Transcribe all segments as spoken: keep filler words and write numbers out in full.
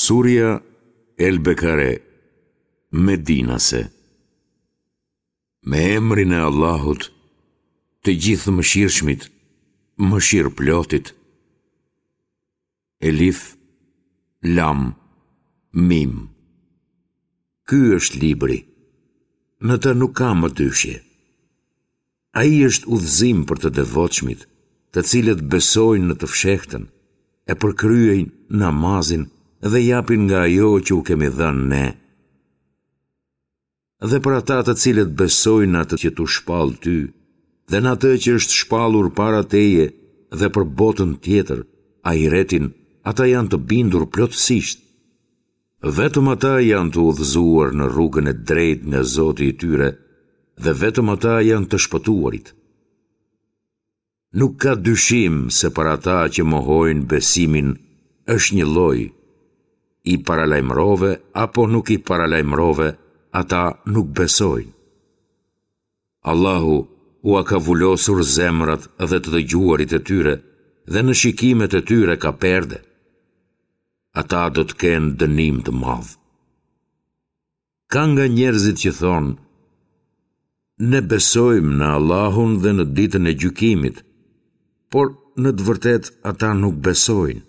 Surja El Bekare, Medinase. Me emrin e Allahut, të Gjithëmëshirshmit, mëshirëplotit. Elif, Lam, Mim. Ky është libri. Në të nuk ka mëdyshje. Ai është udhëzim për të devotshmit, të cilët besojnë në të fshehtën, e përkryejnë namazin dhe japin nga ajo që u kemi dhënë ne. Dhe për ata të cilët besojnë në atë që t'u shpall ty dhe në atë që është shpallur para teje dhe për botën tjetër, ahiretin, ata janë të bindur plotësisht. Vetëm ata janë të udhëzuar në rrugën e drejtë nga Zoti i tyre dhe vetëm ata janë të shpëtuarit. Nuk ka dyshim se për ata që mohojnë besimin është një lloj, i paralajmërove apo nuk i paralajmërove, ata nuk besojnë. Allahu ua ka vulosur zemrat dhe të dëgjuarit e tyre dhe në shikimet e tyre ka perde. Ata do të kenë dënim të madh. Ka nga njerëzit që thonë, ne besojmë në Allahun dhe në ditën e gjykimit, por në të vërtetë ata nuk besojnë.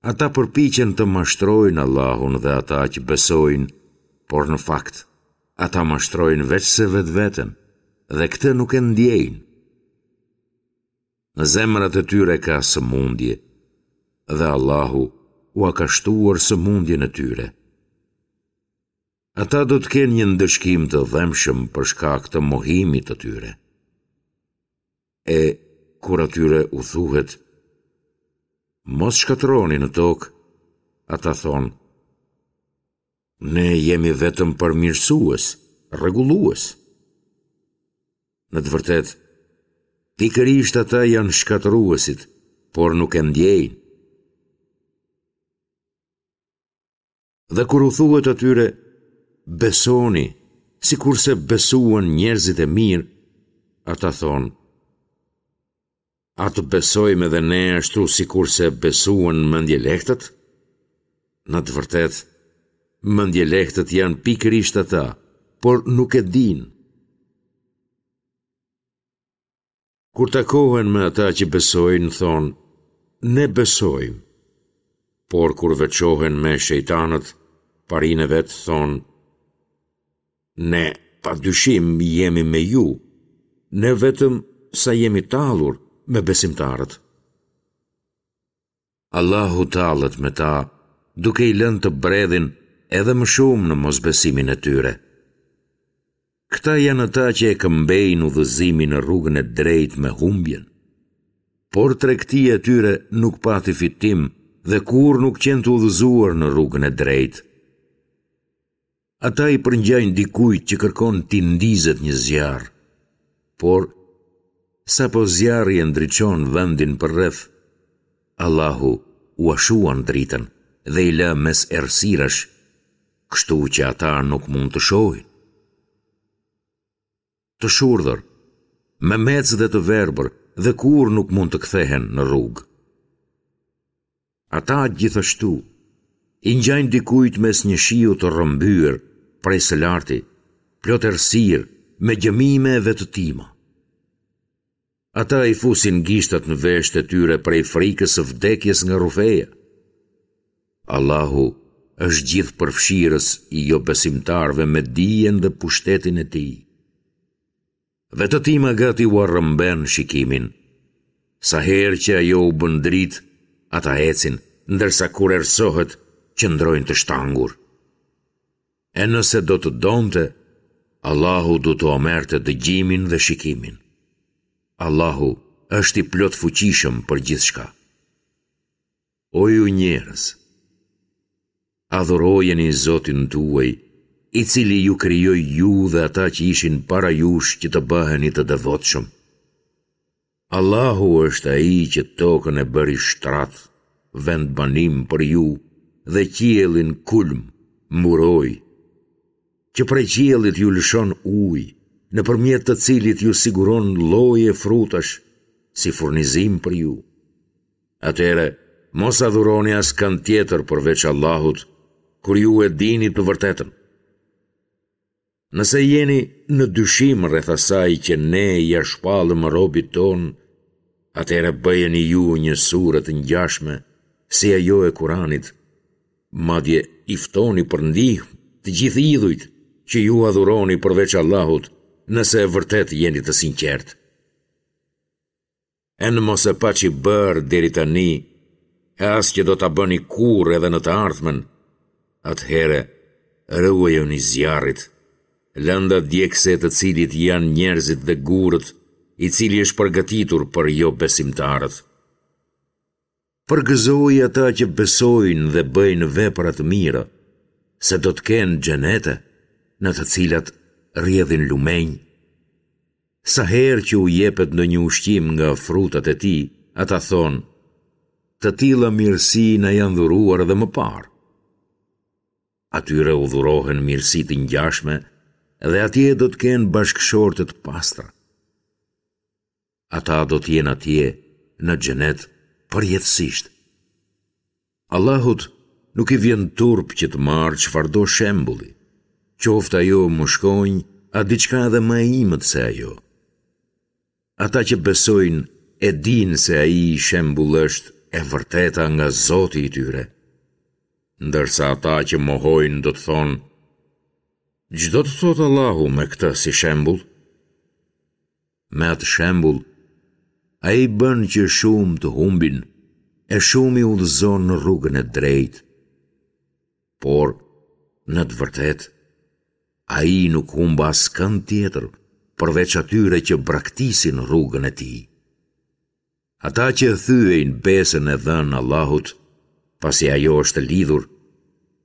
Ata përpiqen të mashtrojnë Allahun dhe ata që besojnë, por në fakt, ata mashtrojnë veçse vetveten dhe këtë nuk e ndjejnë. Në zemrat e tyre ka sëmundje dhe Allahu ua ka shtuar sëmundjen e tyre. Ata do të kenë një ndëshkim të dhembshëm për shkak të mohimit të tyre. E kur atyre u thuhet, mos shkatërroni në tokë, ata thonë, ne jemi vetëm përmirësues, rregullues. Në të vërtetë, pikërisht ata janë shkatërruesit, por nuk e ndjejnë. Dhe kur u thuhet atyre, besoni, sikurse besuan njerëzit e mirë, ata thonë, a të besojmë edhe ne ashtu sikurse besuan mendjelehtët? Në të vërtetë, mendjelehtët janë pikërisht ata, por nuk e dinë. Kur takohen me ata që besojnë, thonë, ne besojmë. Por kur veçohen me shejtanët, parinë e vet, thonë, ne pa dyshim jemi me ju, ne vetëm sa jemi tallur me besimtarët. Allahu tallet me ta, duke i lënë të bredhin edhe më shumë në mosbesimin e tyre. Këta janë ata që e këmbejnë udhëzimin në rrugën e drejtë me humbjen. Por tregtia e tyre nuk pati fitim dhe kurrë nuk qenë të udhëzuar në rrugën e drejtë. Ata i përngjajnë dikujt që kërkon t'i ndizet një zjarr, por sapo zjarri e ndriçon vendin përreth, Allahu ua shuan dritën dhe i lë mes errësirash, kështu që ata nuk mund të shohin. Të shurdhër, memecë dhe të verbër dhe kurrë nuk mund të kthehen në rrugë. Ata gjithashtu i ngjajnë dikujt mes një shiu të rrëmbyer prej së larti, plot errësirë, me gjëmime e vetëtima. Ata i fusin gishtat në veshët e tyre prej frikës së vdekjes nga rrufeja. Allahu është gjithëpërfshirës i jobesimtarëve me dijen dhe pushtetin e tij. Vetëtima gati ua rrëmben shikimin. Sa herë që ajo u bën dritë, ata ecin, ndërsa kur errësohet, qëndrojnë të shtangur. E nëse do të donte, Allahu do t'ua merrte dëgjimin dhe shikimin. Allahu është i plotfuqishëm për gjithçka. O ju njerëz, adhurojeni Zotin tuaj, i cili ju krijoi ju dhe ata që ishin para jush që të bëheni të devotshëm. Allahu është ai që tokën e bëri shtrat, vendbanim për ju dhe qiellin kulm, mburojë, që prej qiellit ju lëshon ujë, nëpërmjet të cilit ju siguron lloje frutash si furnizim për ju. Atëherë, Mos adhuroni askënd tjetër përveç Allahut, kur ju e dini të vërtetën. Nëse jeni në dyshim rreth asaj që ne ia shpallëm robit tonë, atëherë bëjeni ju një sure të ngjashme si ajo e Kuranit, madje i ftoni për ndihmë të gjithë idhujt që ju adhuroni përveç Allahut, nëse vërtet jeni të sinqertë. E në mos e paçi bërë deri tani, e as që do ta bëni kurrë edhe në të ardhmen, atëherë ruajuni zjarrit, lënda djegëse e të cilit janë njerëzit dhe gurët, i cili është përgatitur për jobesimtarët. Përgëzoji ata që besojnë dhe bëjnë vepra të mira, se do të kenë xhenete në të cilat rrjedhin lumenj. Sa herë që u jepet ndonjë ushqim nga frutat e tij, ata thonë, të tilla mirësi na janë dhuruar edhe më parë. Atyre u dhurohen mirësi të ngjashme dhe atje do të kenë bashkëshorte të pastra. Ata do të jenë atje në xhenet përjetësisht. Allahut nuk i vjen turp që të marrë çfarëdo shembulli, qoftë ajo mushkonjë a diçka edhe më e imët se ajo. Ata që besojnë e dinë se ai shembull është e vërteta nga Zoti i tyre. Ndërsa ata që mohojnë do të thonë, ç'do të thotë Allahu me këtë si shembull? Me atë shembull, ai bën që shumë të humbin e shumë i udhëzon në rrugën e drejtë. Por, në të vërtetë, ai nuk humb askënd tjetër përveç atyre që braktisin rrugën e tij. Ata që thyejnë besën e dhënë Allahut, pasi ajo është lidhur,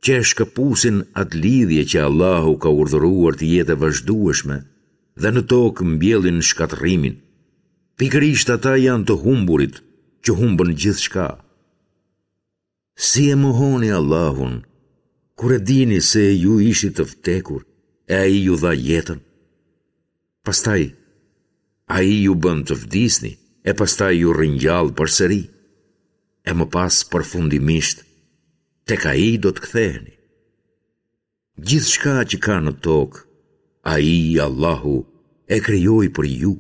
që e shkëpusin atë lidhje që Allahu ka urdhëruar të jetë e vazhdueshme dhe në tokë mbjellin shkatërrimin. Pikërisht ata janë të humburit që humbën gjithçka. Si e mohoni Allahun, kur e dini se ju ishit të vdekur e ai ju dha jetën? Pastaj, ai ju bën të vdisni e pastaj ju ringjall përsëri, e më pas përfundimisht, tek ai do të ktheheni. Gjithçka që ka në tokë, ai Allahu e krijoi për ju.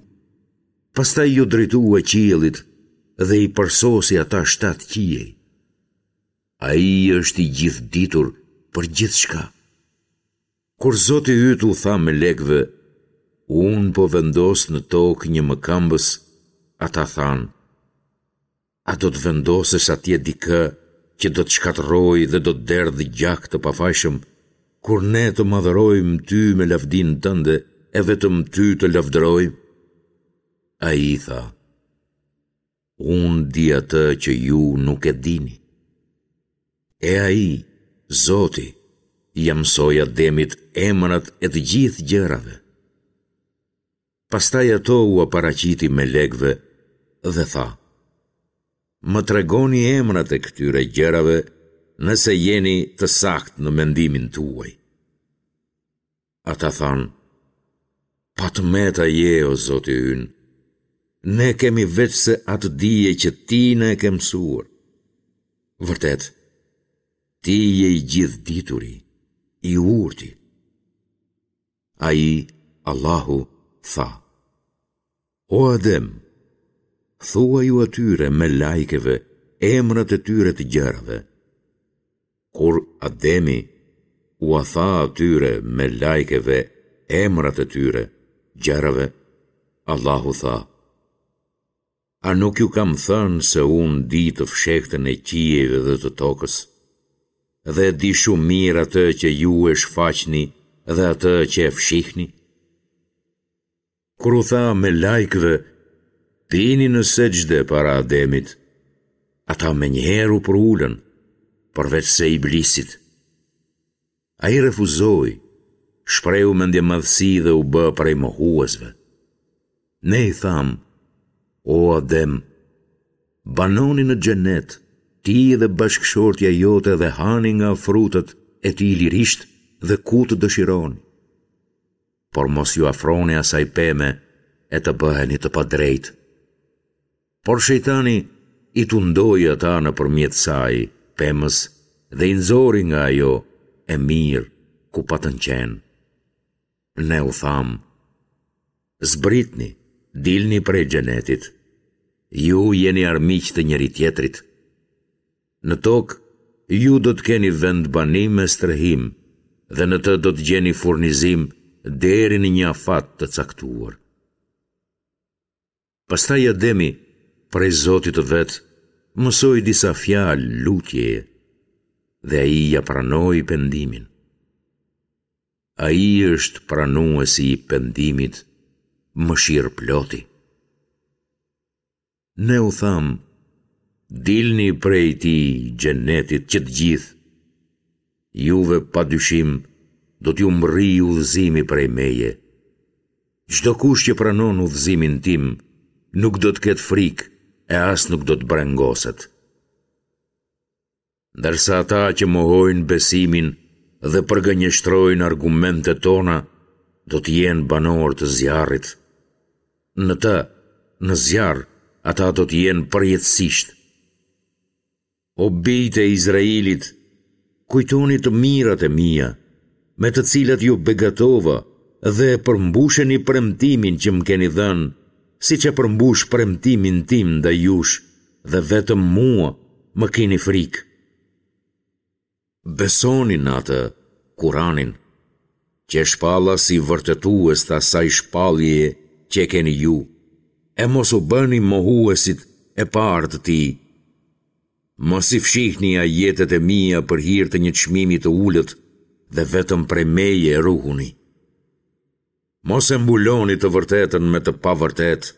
Pastaj iu drejtua qiellit dhe i përsosi ata shtatë qiej. Ai është i gjithëditur për gjithçka. Kur Zoti yt u tha melekëve, unë po vendos në tokë një mëkëmbës, ata thanë, a do të vendosësh atje dikë që do të shkatërrojë dhe do të derdhë gjak të pafajshëm, kur ne të madhërojmë ty me lavdinë tënde e vetëm ty të lavdërojmë? Ai tha, unë di atë që ju nuk e dini. E ai, Zoti, ia mësoi Ademit emrat e të gjithë gjërave. Pastaj ato ua paraqiti melekëve dhe tha, Më tregoni emrat e këtyre gjërave nëse jeni të saktë në mendimin tuaj. Ata thanë, Pa të meta je, o Zoti ynë, ne kemi veçse atë dije që ti na e ke mësuar. Vërtet, ti je i gjithëdituri, i urti. Ai, Allahu, tha, O Adem, thuaju atyre melajkeve emrat e tyre të gjërave. Kur Ademi ua tha atyre melajkeve emrat e tyre, gjërave, Allahu tha, A nuk ju kam thënë se unë di të fshehtën e qiejve dhe të tokës, dhe e di shumë mirë atë që ju e shfaqni dhe atë që e fshihni? Kur u tha melajkëve, bini në sexhde para Ademit, ata menjëherë u përulën, përveçse Iblisit. Ai refuzoi, shprehu mendjemadhësi dhe u bë prej mohuesve. Ne i thamë, o Adem, banoni në xhenet, ti dhe bashkëshortja jote dhe hani nga frutat e tij lirisht dhe ku të dëshironi. Por mos iu afroni asaj peme e të bëheni të padrejtë. Por shejtani i tundoi ata nëpërmjet saj, pemës, dhe i nxori nga ajo e mirë ku patën qenë. Ne u thamë, zbritni, dilni prej xhenetit. Ju jeni armiq të njëri-tjetrit. Në tokë, ju do të keni vendbanim e strehim dhe në të do të gjeni furnizim deri në një afat të caktuar. Pastaj Ademi, prej Zotit të vet, mësoi disa fjalë lutjeje dhe ai ia pranoi pendimin. Ai është pranuesi i pendimit, mëshirëploti. Ne u thamë, dilni prej tij, xhenetit, që të gjithë. Juve pa dyshim do t'ju mbërrijë udhëzimi prej meje. Çdokush që pranon udhëzimin tim, nuk do të ketë frikë e as nuk do të brengoset. Ndërsa ata që mohojnë besimin dhe përgënjeshtrojnë argumentet tona, do të jenë banorë të zjarrit. Në të, në zjarr, ata do të jenë përjetësisht. O bijtë e Izraelit, kujtoni të mirat e mia, me të cilat ju begatova dhe përmbusheni premtimin që më keni dhënë, siç e përmbush premtimin tim ndaj jush dhe vetëm mua më kini frikë. Besoni në atë, Kuranin, që e shpalla si vërtetues të asaj shpalljeje që e keni ju, e mos u bëni mohuesit e parë të tij. Mos i fshihni ajetet e mia për hir të një çmimi të ulët dhe vetëm prej meje ruhuni. Mos e mbuloni të vërtetën me të pavërtetë.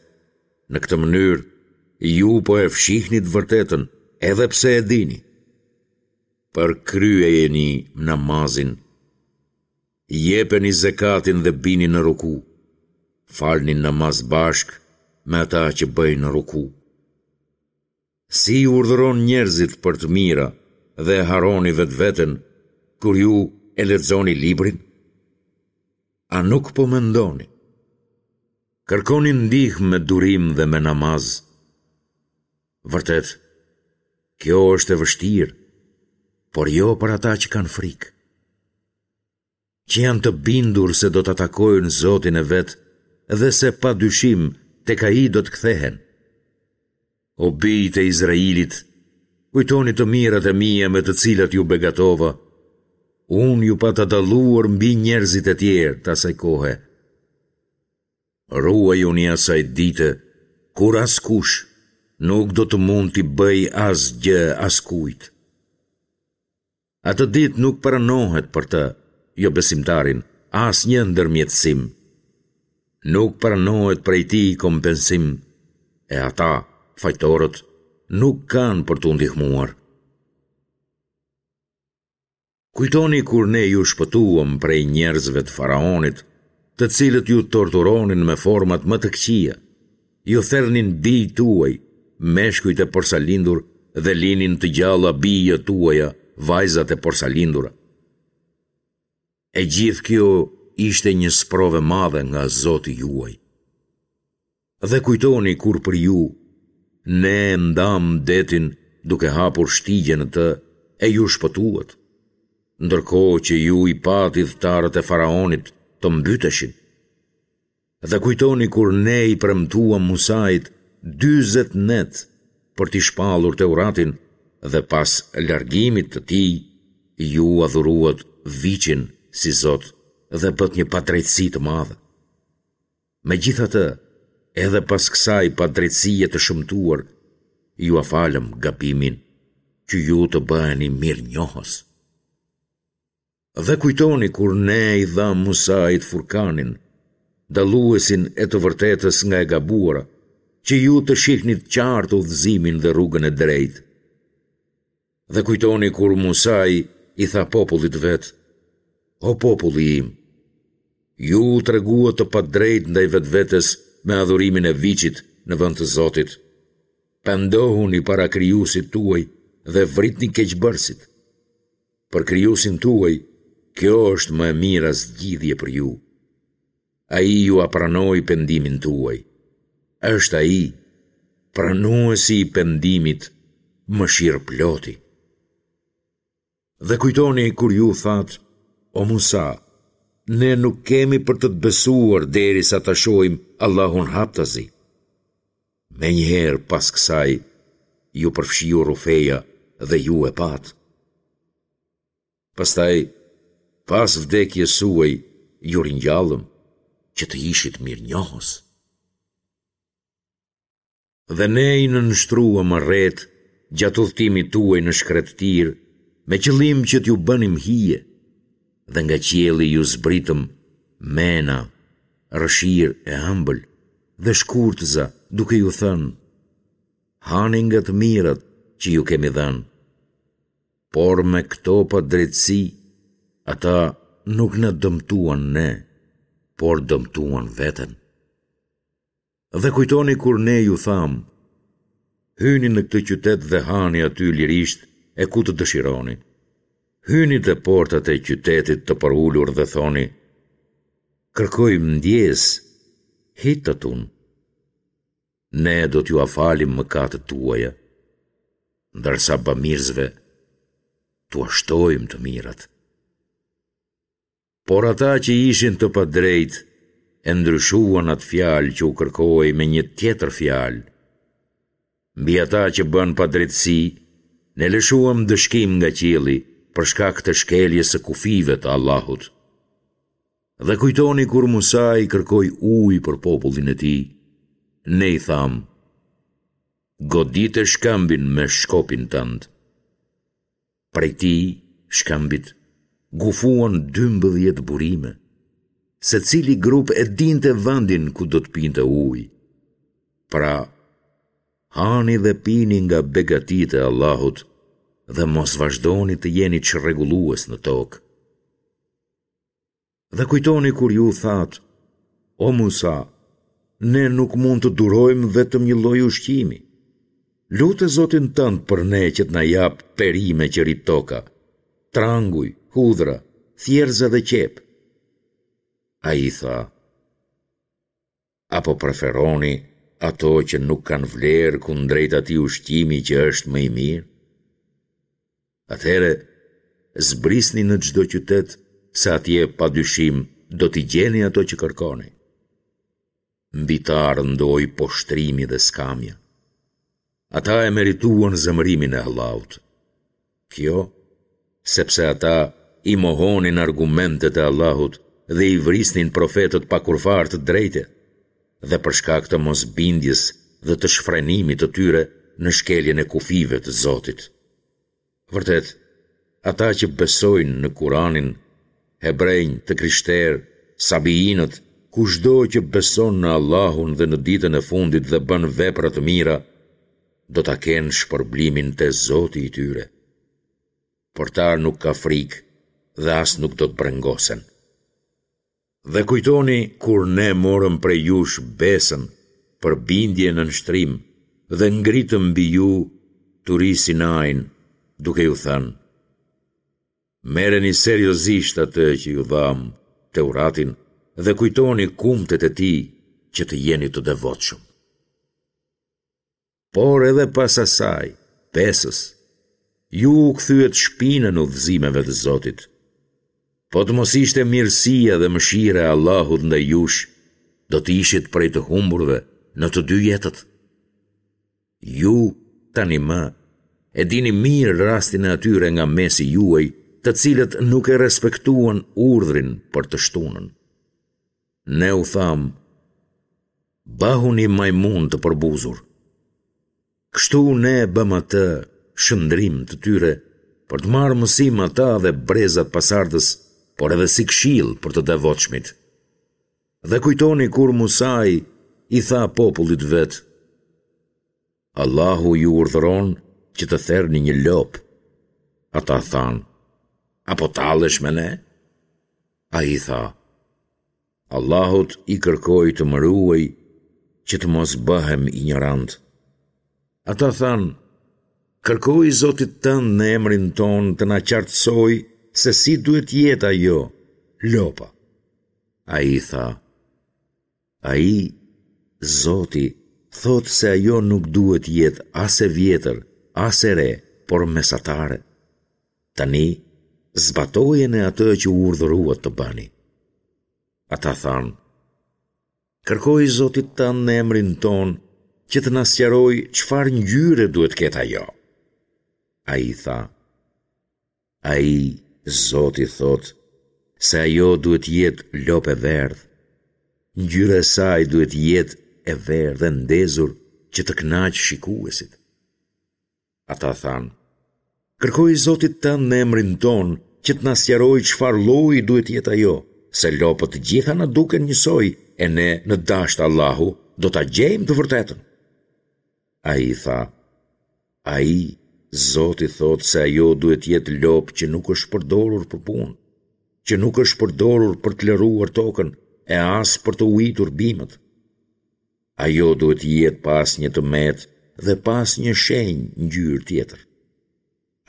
Në këtë mënyrë, ju po e fshihni të vërtetën, edhe pse e dini. Përkryejeni namazin, jepeni zekatin dhe bini në ruku. Falni namaz bashkë me ata që bëjnë ruku. Si i urdhëron njerëzit për të mira dhe e harroni vetveten kur ju e lexoni librin? A nuk po mendoni? Kërkoni ndihmë me durim dhe me namaz. Vërtet, kjo është e vështirë, por jo për ata që kanë frikë, që janë të bindur se do ta takojnë Zotin e vet dhe se pa dyshim tek Ai do të kthehen. O bijtë e Izraelit, kujtoni të mirat e mia me të cilat ju begatova. Unë ju pata dalluar mbi njerëzit e tjerë të asaj kohe. Ruajuni asaj dite, kur askush nuk do të mund t'i bëjë asgjë askujt. Atë ditë nuk pranohet për të, jobesimtarin, asnjë ndërmjetësim. Nuk pranohet prej tij kompensim, e ata, fajtorët, nuk kanë për t'u ndihmuar. Kujtoni kur ne ju shpëtuam prej njerëzve të faraonit, të cilët ju torturonin me format më të këqija, ju thernin bijtë tuaj, meshkujt e porsalindur dhe linin të gjalla bijat tuaja, vajzat e porsalindura. E gjithë kjo ishte një sprovë e madhe nga Zoti juaj. Dhe kujtoni kur për ju, ne e ndamë detin duke hapur shtigje në të e ju shpëtuat, ndërkohë që ju i patë ithtarët e faraonit të mbyteshin. Dhe kujtoni kur ne i premtuam Musait dyzet net për t'i shpallur Teuratin dhe pas largimit të tij, ju adhuruat viçin si Zot dhe bëtë një padrejtësi të madhe. Megjithatë, edhe pas kësaj padrejtësie të shëmtuar, jua falëm gabimin që ju të bëheni mirënjohës. Dhe kujtoni kur ne i dhamë Musait Furkanin, dalluesin e të vërtetës nga e gabuara, që ju të shihnit qartë udhëzimin dhe rrugën e drejtë. Dhe kujtoni kur Musai i tha popullit të vet, O populli im, ju u treguat të padrejtë ndaj vetvetes me adhurimin e viçit në vend të Zotit. Pendohuni para Krijuesit tuaj dhe vritni keqbërësit. Për Krijuesin tuaj, kjo është më e mira zgjidhje për ju. Ai jua pranoi pendimin tuaj. Është Ai, Pranuesi i pendimit, Mëshirëploti. Dhe kujtoni kur ju thatë, O Musa, ne nuk kemi për të të besuar derisa ta shohim Allahun haptazi. Menjëherë pas kësaj, ju përfshiu rrufeja dhe ju e patë. Pastaj, pas vdekjes suaj, ju ringjallëm që të ishit mirënjohës. Dhe ne i nënshtruam retë gjatë udhëtimit tuaj në shkretëtirë, me qëllim që t'ju bënim hije, dhe nga qielli ju zbritëm mena, rrëshirë e ëmbël, dhe shkurtëza duke ju thënë, hani nga të mirat që ju kemi dhënë. Por me këto padrejtësi, ata nuk na dëmtuan ne, por dëmtuan veten. Dhe kujtoni kur ne ju thamë, hyni në këtë qytet dhe hani aty lirisht e ku të dëshironi. Hyni te portat e qytetit të përulur dhe thoni, kërkojmë ndjesë, hittatun. Ne do t'jua falim mëkatet tuaja, ndërsa bamirësve t'ua shtojmë të mirat. Por ata që ishin të padrejtë e ndryshuan atë fjalë që u kërkohej me një tjetër fjalë. Mbi ata që bënë padrejtësi, ne lëshuam ndëshkim nga qielli për shkak të shkeljes së kufijve të Allahut. Dhe kujtoni kur Musai kërkoi ujë për popullin e tij, ne i thamë, godite shkëmbin me shkopin tënd. Prej tij, shkëmbit, gufuan dymbëdhjetë burime. Secili grup e dinte vendin ku do të pinte ujë. Pra, hani dhe pini nga begatitë e Allahut dhe mos vazhdoni të jeni çrregullues në tokë. Dhe kujtoni kur ju thatë, o Musa, ne nuk mund të durojmë vetëm një lloj ushqimi. Lute Zotin tënd për ne që të na japë perime që rrit toka, tranguj, hudhra, thjerrëza dhe qepë. Ai tha, apo preferoni ato që nuk kanë vlerë kundrejt atij ushqimi që është më i mirë? Atëherë, zbrisni në çdo qytet, se atje pa dyshim do t'i gjeni ato që kërkoni. Mbi ta rëndoi poshtërimi dhe skamja. Ata e merituan zemërimin e Allahut. Kjo, sepse ata i mohonin argumentet e Allahut dhe i vrisnin profetët pa kurrfarë të drejte, dhe për shkak të mosbindjes dhe të shfrenimit të tyre në shkeljen e kufijve të Zotit. Vërtet, ata që besojnë në Kuranin, hebrenj, të krishterë, sabiinët, kushdo që beson në Allahun dhe në ditën e fundit dhe bën vepra të mira, do ta kenë shpërblimin te Zoti i tyre. Për ta nuk ka frikë dhe as nuk do të brengosen. Dhe kujtoni kur ne morëm prej jush besën për bindje e nënshtrim dhe ngritëm mbi ju Turi Sinain, duke ju thënë, merreni seriozisht atë që ju dhamë, Teuratin, dhe kujtoni kumtet e tij që të jeni të devotshëm. Por edhe pas asaj, besës, ju u kthyet shpinën udhëzimeve të Zotit. Po të mos ishte mirësia dhe mëshira e Allahut ndaj jush, do të ishit prej të humburve në të dy jetët. Ju, tani më, e dini mirë rastin e atyre nga mesi juaj, të cilët nuk e respektuan urdhrin për të shtunën. Ne u thamë, bëhuni majmunë të përbuzur. Kështu ne e bëmë atë shndërrim të tyre për të marrë mësim ata dhe brezat pasardhës, por edhe si këshillë për të devotshmit. Dhe kujtoni kur Musai i tha popullit vet, Allahu ju urdhëron që të therni një lopë. Ata thanë, a po tallesh me ne? Ai tha, Allahut i kërkoj të më ruajë që të mos bëhem injorant. Ata thanë, kërkoji Zotit tënd në emrin tonë të na qartësojë se si duhet të jetë ajo, lopa. Ai tha, ai, Zoti, thotë se ajo nuk duhet të jetë as e vjetër, as e re, por mesatare. Tani, zbatojeni atë që u urdhëruat të bëni. Ata thanë, kërkoji Zotit tënd në emrin tonë që të na sqarojë çfarë ngjyre duhet të ketë ajo. Ai tha, ai, Zoti thotë, se ajo duhet të jetë lopë e verdhë. Ngjyra e saj duhet të jetë e verdhë e ndezur që të kënaqë shikuesit. Ata thanë, kërkoji Zotit tënd në emrin tonë që të na sqarojë çfarë lloji duhet të jetë ajo, se lopët të gjitha na duken njësoj e ne në dashtë Allahu do ta gjejmë të vërtetën. Ai tha, ai, Zoti thotë se ajo duhet të jetë lopë që nuk është përdorur për punë, që nuk është përdorur për të lëruar tokën e as për të ujitur bimët. Ajo duhet të jetë pa asnjë të metë dhe pa asnjë shenjë ngjyrë tjetër.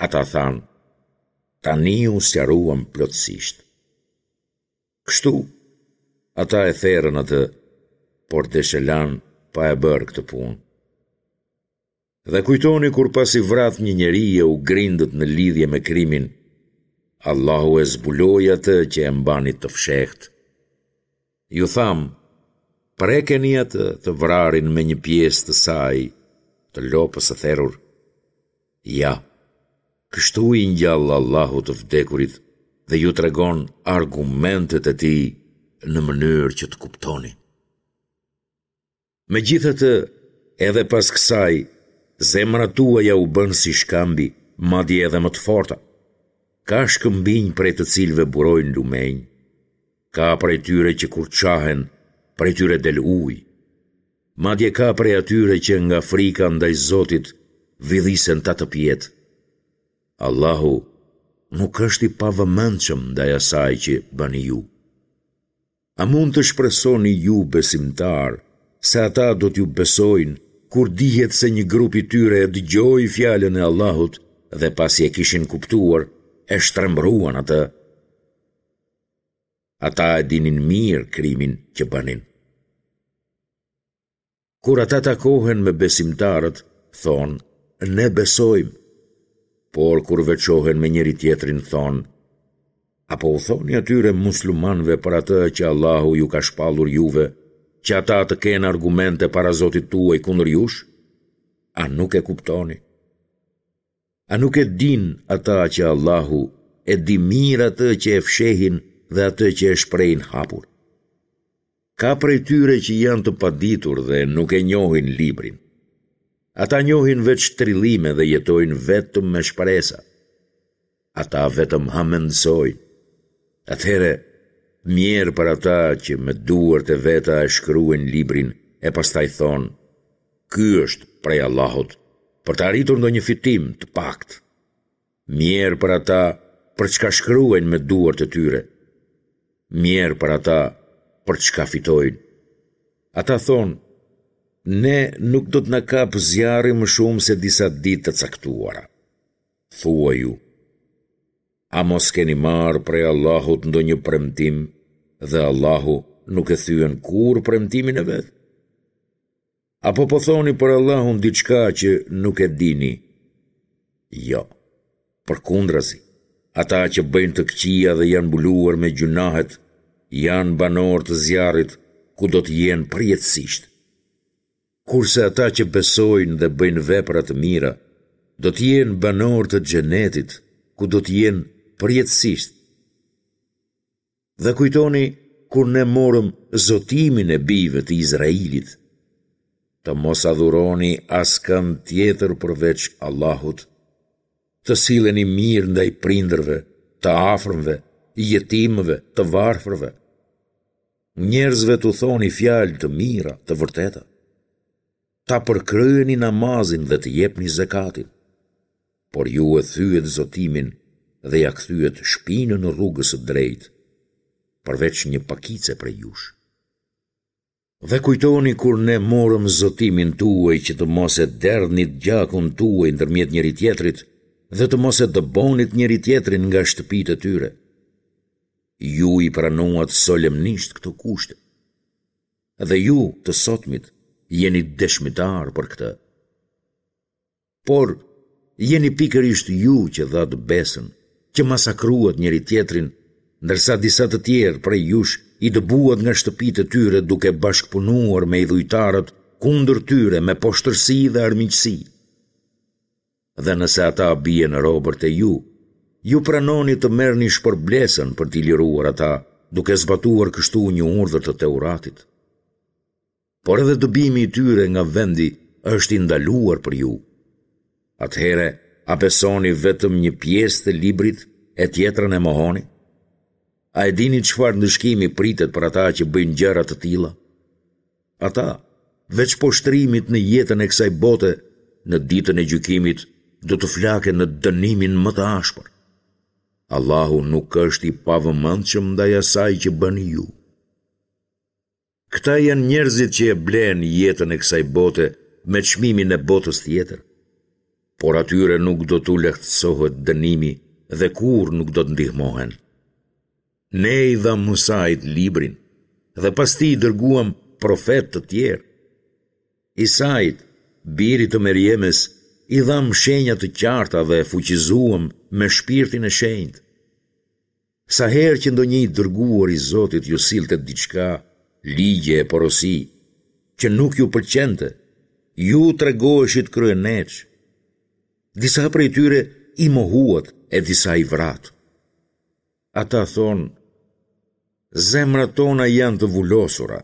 Ata thanë, tani u sqaruam plotësisht. Kështu, ata e therën atë, por desh e lanë pa e bërë këtë punë. Dhe kujtoni kur pasi vratë një njeri e u grindët në lidhje me krimin, Allahu e zbuloi atë që e mbanit të fshehtë. Ju thamë, prekeni atë të vrarin me një pjesë të saj, të lopës së therur. Ja, kështu i ngjall Allahu të vdekurit dhe ju tregon argumentet e tij në mënyrë që të kuptoni. Megjithatë, edhe pas kësaj, zemrat tuaja u bënë si shkambi, madje edhe më të forta. Ka shkëmbinj prej të cilëve burojnë lumenj. Ka prej tyre që kur çahen, prej tyre del ujë. Madje ka prej atyre që nga frika ndaj Zotit vidhisen tatëpjetë. Allahu nuk është i pavëmendshëm ndaj asaj që bëni ju. A mund të shpresoni ju besimtarë se ata do t'ju besojnë kur dihet se një grup i tyre e dëgjoi fjalën e Allahut dhe pasi e kishin kuptuar, e shtrembëruan atë? Ata e dinin mirë krimin që bënin. Kur ata takohen me besimtarët, thonë, ne besojmë, por kur veçohen me njëri-tjetrin, thonë, apo u thoni atyre muslimanëve për atë që Allahu ju ka shpallur juve, që ata të kenë argumente para Zotit tuaj kundër jush? A nuk e kuptoni? A nuk e dinë ata që Allahu e di mirë atë që e fshehin dhe atë që e shprehin hapur? Ka prej tyre që janë të paditur dhe nuk e njohin librin. Ata njohin veç trillime dhe jetojnë vetëm me shpresa. Ata vetëm hamendësojnë. Atëherë, mjerë për ata që me duart e veta e shkruajnë librin e pastaj thonë, ky është prej Allahut, për të arritur ndonjë fitim të paktë. Mjerë për ata për çka shkruajnë me duart e tyre. Mjerë për ata për çka fitojnë. Ata thonë, ne nuk do të na kapë zjarri më shumë se disa ditë të caktuara. Thuaju, a mos keni marrë prej Allahut ndonjë premtim dhe Allahu nuk e thyen kurrë premtimin e vet? Apo po thoni për Allahun diçka që nuk e dini? Jo, përkundrazi, ata që bëjnë të këqija dhe janë mbuluar me gjynahet, janë banorë të zjarrit, ku do të jenë përjetësisht. Kurse ata që besojnë dhe bëjnë vepra të mira, do të jenë banorë të xhenetit, ku do të jenë përjetësisht. Dhe kujtoni kur ne morëm zotimin e bijve të Izraelit, të mos adhuroni askënd tjetër përveç Allahut, të silleni mirë ndaj prindërve, të afërmve, jetimëve, të varfërve. Njerëzve t'u thoni fjalë të mira, të vërteta. Ta përkryeni namazin dhe të jepni zekatin. Por ju e thyet zotimin dhe ia kthyet shpinën rrugës së drejtë, përveç një pakice prej jush. Dhe kujtoni kur ne morëm zotimin tuaj që të mos e derdhnit gjakun tuaj ndërmjet njëri-tjetrit dhe të mos e dëbonit njëri-tjetrin nga shtëpitë e tyre. Ju i pranuat solemnisht këto kushte. Dhe ju, të sotmit, jeni dëshmitarë për këtë. Por, jeni pikërisht ju që dhatë besën, që masakruat njëri-tjetrin, ndërsa disa të tjerë prej jush i dëbuat nga shtëpitë e tyre duke bashkëpunuar me idhujtarët kundër tyre me poshtërsi dhe armiqësi. Dhe nëse ata bien robër te ju, ju pranoni të merrni shpërblesën për t'i liruar ata, duke zbatuar kështu një urdhër të Teuratit. Por edhe dëbimi i tyre nga vendi është i ndaluar për ju. Atëherë, a besoni vetëm një pjesë të librit e tjetrën e mohoni? A e dini çfarë ndëshkimi pritet për ata që bëjnë gjëra të tilla? Ata, veç poshtërimit në jetën e kësaj bote, në ditën e gjykimit do të flaken në dënimin më të ashpër. Allahu nuk është i pavëmendshëm ndaj asaj që bëni ju. Këta janë njerëzit që e blenë jetën e kësaj bote me çmimin e botës tjetër. Por atyre nuk do t'u lehtësohet dënimi dhe kurrë nuk do të ndihmohen. Ne i dhamë Musait librin dhe pas tij dërguam profetë të tjerë. Isait, birit të Merjemes, i dhamë shenja të qarta dhe e fuqizuam me shpirtin e shenjtë. Sa herë që ndonjë i dërguar i Zotit ju sillte diçka, ligje e porosi, që nuk ju pëlqente, ju tregoheshit kryeneçë. Disa prej tyre i mohuat e disa i vratë. Ata thonë, zemrat tona janë të vulosura.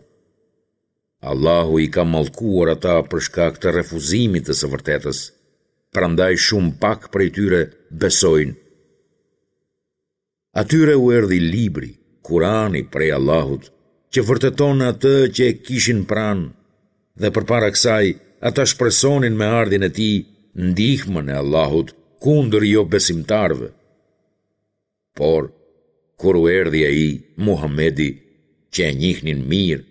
Allahu i ka mallkuar ata për shkak të refuzimit të së vërtetës, prandaj shumë pak prej tyre besojnë. Atyre u erdhi libri, Kurani prej Allahut, që vërteton atë që e kishin pranë, dhe përpara kësaj ata shpresonin me ardhjen e tij ndihmën e Allahut kundër jobesimtarëve. Por, kur u erdhi ai, Muhamedi, që e njihnin mirë,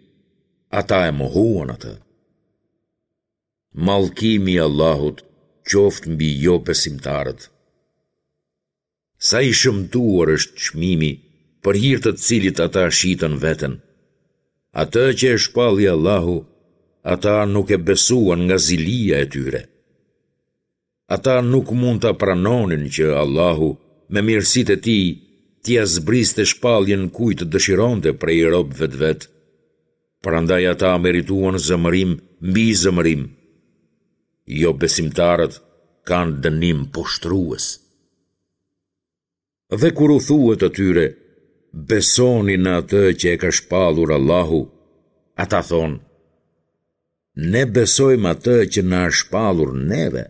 ata e mohuan atë. Mallkimi i Allahut qoftë mbi jobesimtarët. Sa i shëmtuar është çmimi për hir të cilit ata shitën veten. Atë që e shpalli Allahu, ata nuk e besuan nga zilia e tyre. Ata nuk mund ta pranonin që Allahu me mirësitë e tij t'ia zbriste shpalljen kujt të dëshironte prej robëve të vet. Prandaj ata merituan zemërim mbi zemërim. Jobesimtarët kanë dënim poshtërues. Dhe kur u thuhet atyre, besoni në atë që e ka shpallur Allahu, ata thonë, ne besojmë atë që na është shpallur neve,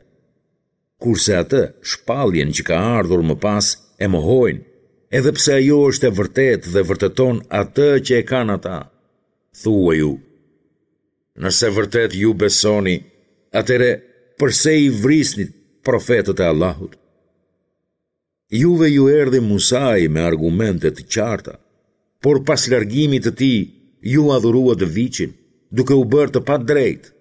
kurse atë shpalljen që ka ardhur më pas e mohojnë, edhe pse ajo është e vërtetë dhe vërteton atë që e kanë ata. Thuaju, nëse vërtet ju besoni, atëherë përse i vrisnit profetët e Allahut? Juve ju erdhi Musai me argumente të qarta, por pas largimit të tij ju adhuruat viçin, duke u bërë të padrejtë.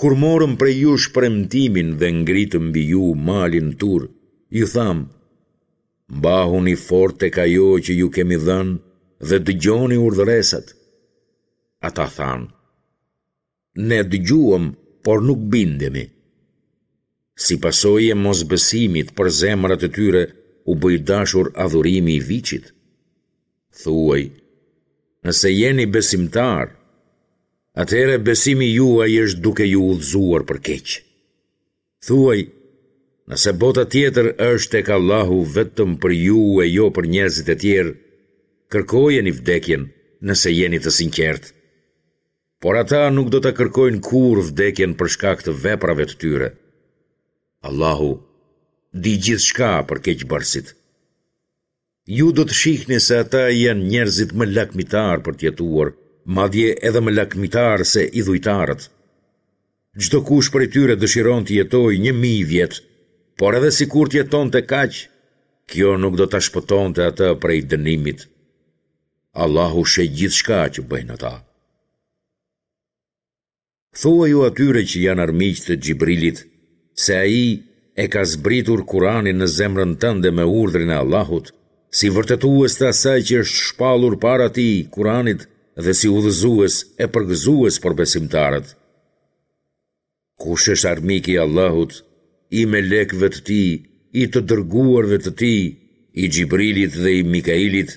Kur morëm prej jush premtimin dhe ngritëm mbi ju malin Tur, ju thamë, mbahuni fort tek ajo që ju kemi dhënë dhe dëgjoni urdhëresat. Ata thanë, ne dëgjuam, por nuk bindemi. Si pasojë e mosbesimit për zemrat e tyre u bë i dashur adhurimi i viçit. Thuaj, nëse jeni besimtarë, atëherë besimi juaj është duke ju udhëzuar për keq. Thuaj, nëse bota tjetër është tek Allahu vetëm për ju e jo për njerëzit e tjerë, kërkojeni vdekjen nëse jeni të sinqertë. Por ata nuk do ta kërkojnë kurrë vdekjen për shkak të veprave të tyre. Allahu di gjithçka për keqbërësit. Ju do të shihni se ata janë njerëzit më lakmitarë për të jetuar, madje edhe më lakmitarë se idhujtarët. Çdokush prej tyre dëshiron të jetojë një mijë vjet, por edhe sikur të jetonte kaq, kjo nuk do ta shpëtonte atë prej dënimit. Allahu sheh gjithçka që bëjnë ata. Thuaju atyre që janë armiq të Xhibrilit, se ai e ka zbritur Kuranin në zemrën tënde me urdhrin e Allahut, si vërtetues të asaj që është shpallur para tij, Kuranit, dhe si udhëzues e përgëzues për besimtarët. Kush është armik i Allahut, i melekëve të tij, i të dërguarve të tij, i Xhibrilit dhe i Mikailit,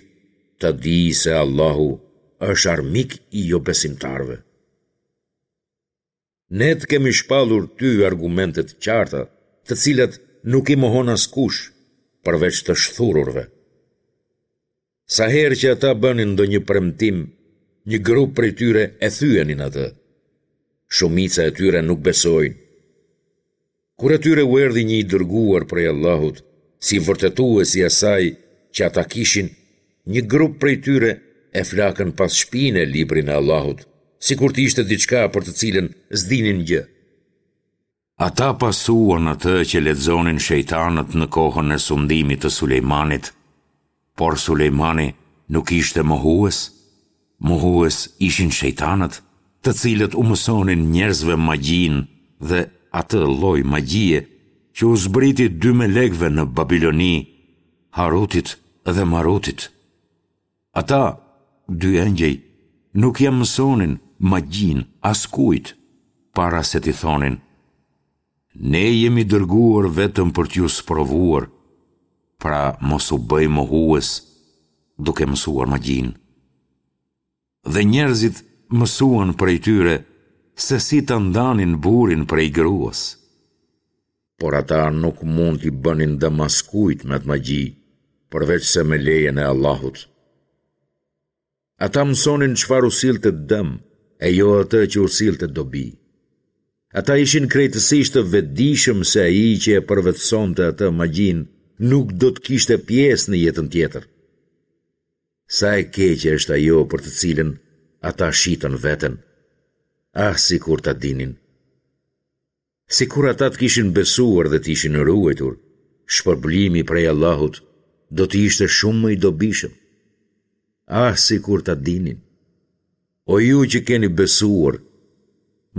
ta dijë se Allahu është armik i jobesimtarëve. Ne të kemi shpallur ty argumente të qarta, të cilat nuk i mohon askush, përveç të shthururve. Sa herë që ata bënin ndonjë premtim, një grup prej tyre e thyenin atë. Shumica e tyre nuk besojnë. Kur atyre u erdhi një i dërguar prej Allahut, si vërtetues i asaj që ata kishin, një grup prej tyre e flakën pas shpine librin e Allahut, sikur të ishte diçka për të cilën s'dinin gjë. Ata pasuan atë që lexonin shejtanët në kohën e sundimit të Sulejmanit, por Sulejmani nuk ishte mohues, mohues ishin shejtanët, të cilët u mësonin njerëzve magjinë dhe atë lloj magjie që u zbriti dy melekëve në Babiloni, Harutit dhe Marutit. Ata, dy engjëj, nuk ia mësonin magjinë askujt para se t'i thonin, Ne jemi dërguar vetëm për t'ju sprovuar, pra mos u bëj mohues duke mësuar magjinë. Dhe njerëzit mësuan prej tyre se si ta ndanin burrin prej gruas. Por ata nuk mund t'i bënin dëm askujt me atë magji, përveçse me lejen e Allahut. Ata mësonin çfarë u sillte dëm, e jo atë që u sillte dobi. Ata ishin krejtësisht të vetëdijshëm se ai që e përvetësonte atë magjinë nuk do të kishte pjesë në jetën tjetër. Sa e keqe është ajo për të cilën ata shitën veten. Ah, sikur ta dinin. Sikur ata të kishin besuar dhe të ishin ruajtur, shpërblimi prej Allahut do të ishte shumë më i dobishëm. Ah, sikur ta dinin. O ju që keni besuar,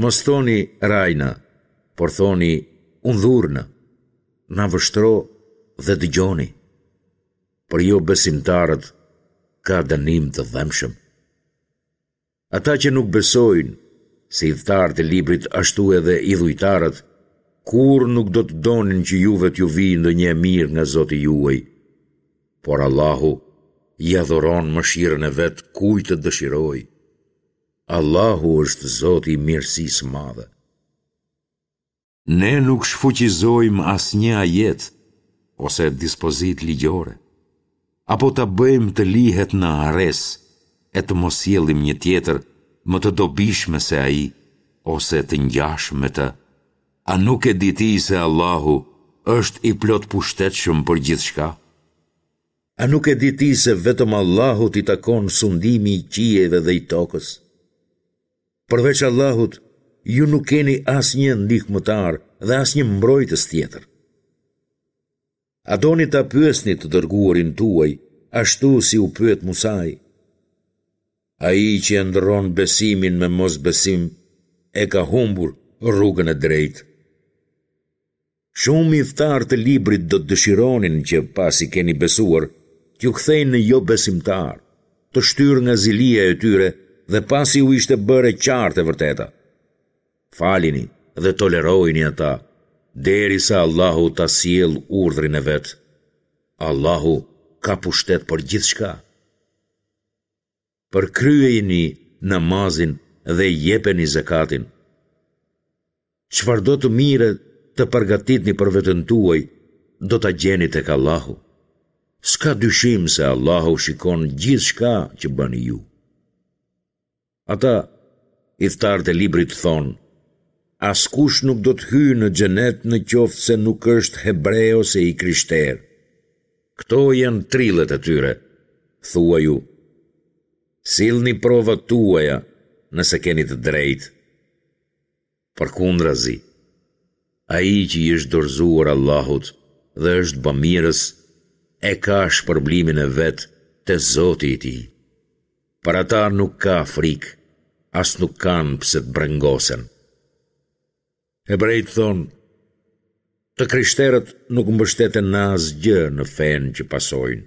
mos thoni rajna, por thoni undhurna, na vështro dhe dëgjoni. Për jobesimtarët ka dënim të dhembshëm. Ata që nuk besojnë, si ithtarët e librit ashtu edhe idhujtarët, kurrë nuk do të donin që juve t'ju vijë ndonjë e mirë nga Zoti juaj. Por Allahu ia dhuron mëshirën e vet kujt të dëshirojë. Allahu është Zoti i mirësisë së madhe. Ne nuk shfuqizojmë asnjë ajet ose dispozitë ligjore, apo ta bëjmë të lihet në harresë e të mos sjellim një tjetër më të dobishme se ai ose të ngjashme me të. A nuk e di ti se Allahu është i plotpushtetshëm për gjithçka? A nuk e di ti se vetëm Allahut i takon sundimi i qiejve dhe i tokës? Përveç Allahut, ju nuk keni asnjë ndihmëtar dhe asnjë mbrojtës tjetër. A doni ta pyesni të dërguarin tuaj, ashtu si u pyet Musai? Ai që e ndërron besimin me mosbesim, e ka humbur rrugën e drejtë. Shumë ithtarë të librit do të dëshironin që, pasi keni besuar, t'ju kthejnë në jobesimtarë, të shtyrë nga zilia e tyre dhe pasi u ishte bërë e qartë e vërteta. Falini dhe tolerojini ata, derisa Allahu ta sjellë urdhrin e vet. Allahu ka pushtet për gjithçka. Përkryejeni namazin dhe jepeni zekatin. Çfarëdo të mire të përgatitni për veten tuaj, do ta gjeni tek Allahu. S'ka dyshim se Allahu shikon gjithçka që bëni ju. Ata, ithtarët e librit thonë, askush nuk do të hyjë në xhenet në qoftë se nuk është hebre ose i krishterë. Këto janë trillet e tyre, thuaju, sillni provat tuaja nëse keni të drejtë. Përkundrazi, ai që i është dorëzuar Allahut dhe është bamirës, e ka shpërblimin e vet te Zoti i tij. Për ata nuk ka frikë, as nuk kanë pse të brengosen. Hebrejtë thonë, të krishterët nuk mbështeten në asgjë në fenë që pasojnë.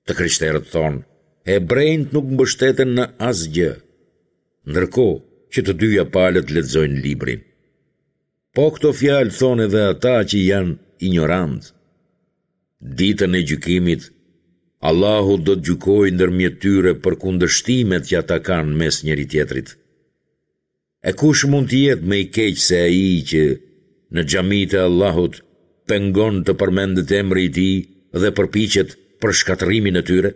Të krishterët thonë, Hebrenjtë nuk mbështeten në asgjë, ndërkohë që të dyja palët lexojnë librin. Po këto fjalë thonë edhe ata që janë injorantë. Ditën e gjykimit, Allahu do të gjykojë ndërmjet tyre për kundërshtimet që ata kanë mes njëri-tjetrit. E kush mund të jetë më i keq se ai që në xhamitë e Allahut pengon të përmendet emri i tij dhe përpiqet për shkatërrimin e tyre?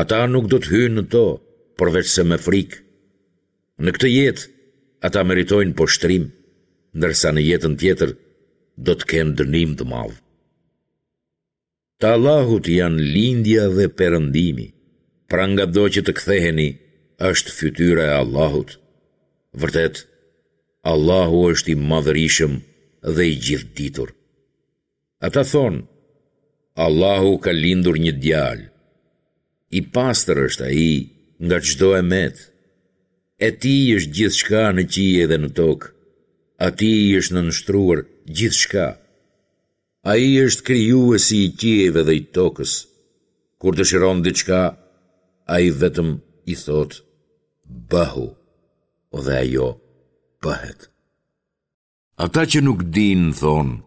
Ata nuk do të hyjnë në to, përveçse me frikë. Në këtë jetë, ata meritojnë poshtërim, ndërsa në jetën tjetër do të kenë dënim të madh. Të Allahut janë lindja dhe perëndimi, pra ngado që të ktheheni, është fytyra e Allahut. Vërtet, Allahu është i madhërishëm dhe i gjithëditur. Ata thonë, Allahu ka lindur një djalë. I pastër është ai nga çdo e metë. E tij është gjithçka në qiej dhe në tokë. Atij i është nënshtruar gjithçka. Ai është krijuesi i qiejve dhe i tokës. Kur dëshiron diçka, ai vetëm i thotë, bëhu, dhe ajo bëhet. Ata që nuk dinë thonë,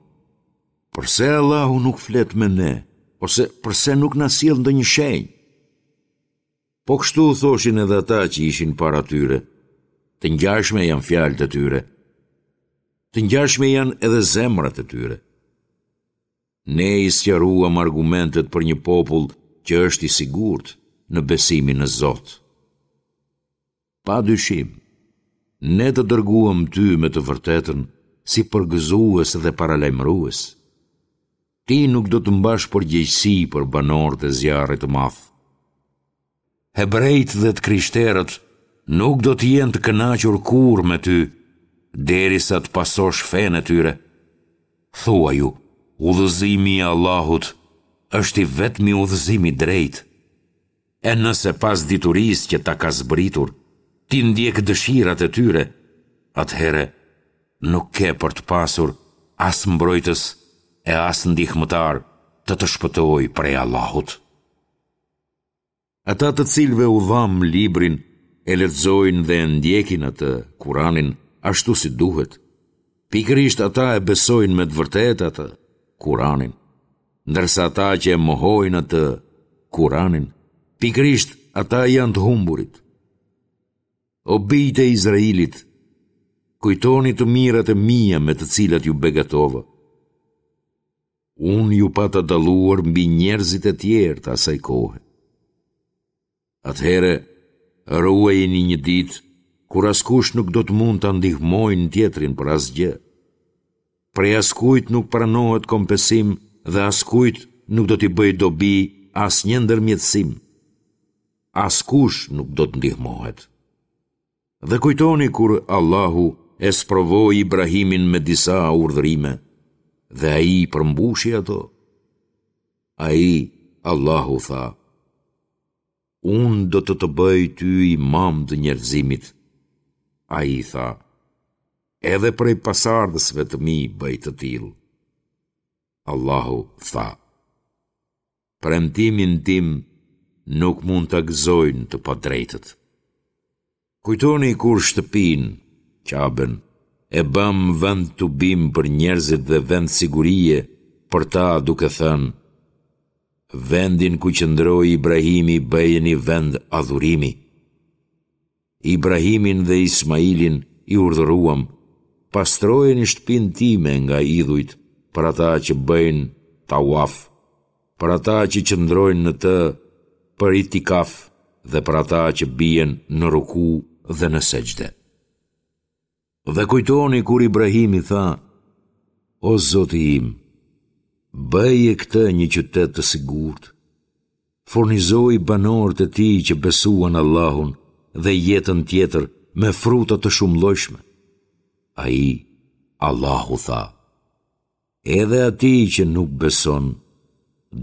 përse Allahu nuk flet me ne, ose përse nuk na sjell ndonjë shenjë? Po kështu thoshin edhe ata që ishin para tyre. Të ngjashme janë fjalët e tyre. Të ngjashme janë edhe zemrat e tyre. Ne i sqaruam argumentet për një popull që është i sigurt në besimin në Zot. Pa dyshim, ne të dërguam ty me të vërtetën si përgëzues dhe paralajmërues. Ti nuk do të mbash përgjegjësi për banorët e zjarrit të madh. Hebrenjtë dhe të krishterët nuk do të jenë të kënaqur kurrë me ty, derisa të pasosh fenë e tyre. Thuaju, udhëzimi i Allahut është i vetmi udhëzim i drejtë. E nëse pas diturisë që ta ka zbritur, ti ndjek dëshirat e tyre, atëherë nuk ke për të pasur as mbrojtës e as ndihmëtar të të shpëtojë prej Allahut. Ata të cilëve u dhamë librin e lexojnë dhe e ndjekin atë, Kuranin, ashtu si duhet. Pikërisht ata e besojnë me të vërtetë atë, Kuranin. Ndërsa ata që e mohojnë atë, Kuranin, pikërisht ata janë të humburit. O bijtë e Izraelit, kujtoni të mirat e mia me të cilat ju begatova. Unë ju pata dalluar mbi njerëzit e tjerë të asaj kohe. Atëherë, ruajeni një ditë kur askush nuk do të mund ta ndihmojë tjetrin për asgjë. Prej askujt nuk pranohet kompensim dhe askujt nuk do t'i bëjë dobi asnjë ndërmjetësim. Askush nuk do të ndihmohet. Dhe kujtoni kur Allahu e sprovoi Ibrahimin me disa urdhërime dhe ai i përmbushi ato. Ai, Allahu tha, Unë do të të bëj ty imam të njerëzimit. Ai tha, edhe prej pasardhësve të mi bëj të tillë. Allahu tha, premtimin tim nuk mund ta gëzojnë të padrejtët. Kujtoni kur shtëpinë, Qaben, e bëmë vend tubim për njerëzit dhe vend sigurie për ta duke thënë, vendin ku qëndroi Ibrahimi bëjeni vend adhurimi. Ibrahimin dhe Ismailin i urdhëruam, pastrojeni shtëpinë time nga idhujt për ata që bëjnë tawaf, për ata që qëndrojnë në të për itikaf dhe për ata që bien në ruku dhe në sexhde. Dhe kujtoni kur Ibrahimi tha, O Zoti im, bëje këtë një qytet të sigurt, furnizoji banorët e tij që besuan Allahun dhe jetën tjetër me fruta të shumëllojshme. Ai, Allahu tha, Edhe atij që nuk beson,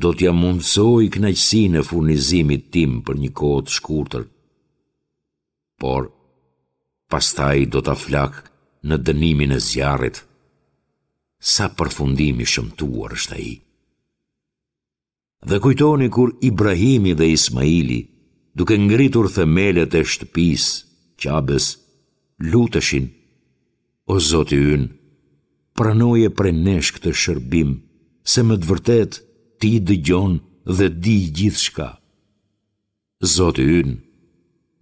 do t'ia mundësoj kënaqësinë e furnizimit tim për një kohë të shkurtër. Por, pastaj do ta flak në dënimin e zjarrit. Sa përfundim i shëmtuar është ai. Dhe kujtoni kur Ibrahimi dhe Ismaili, duke ngritur themelet e shtëpisë, Qabes, luteshin, O Zoti ynë, pranoje prej nesh këtë shërbim, se me të vërtetë Ti dëgjon dhe di gjithçka. Zoti ynë,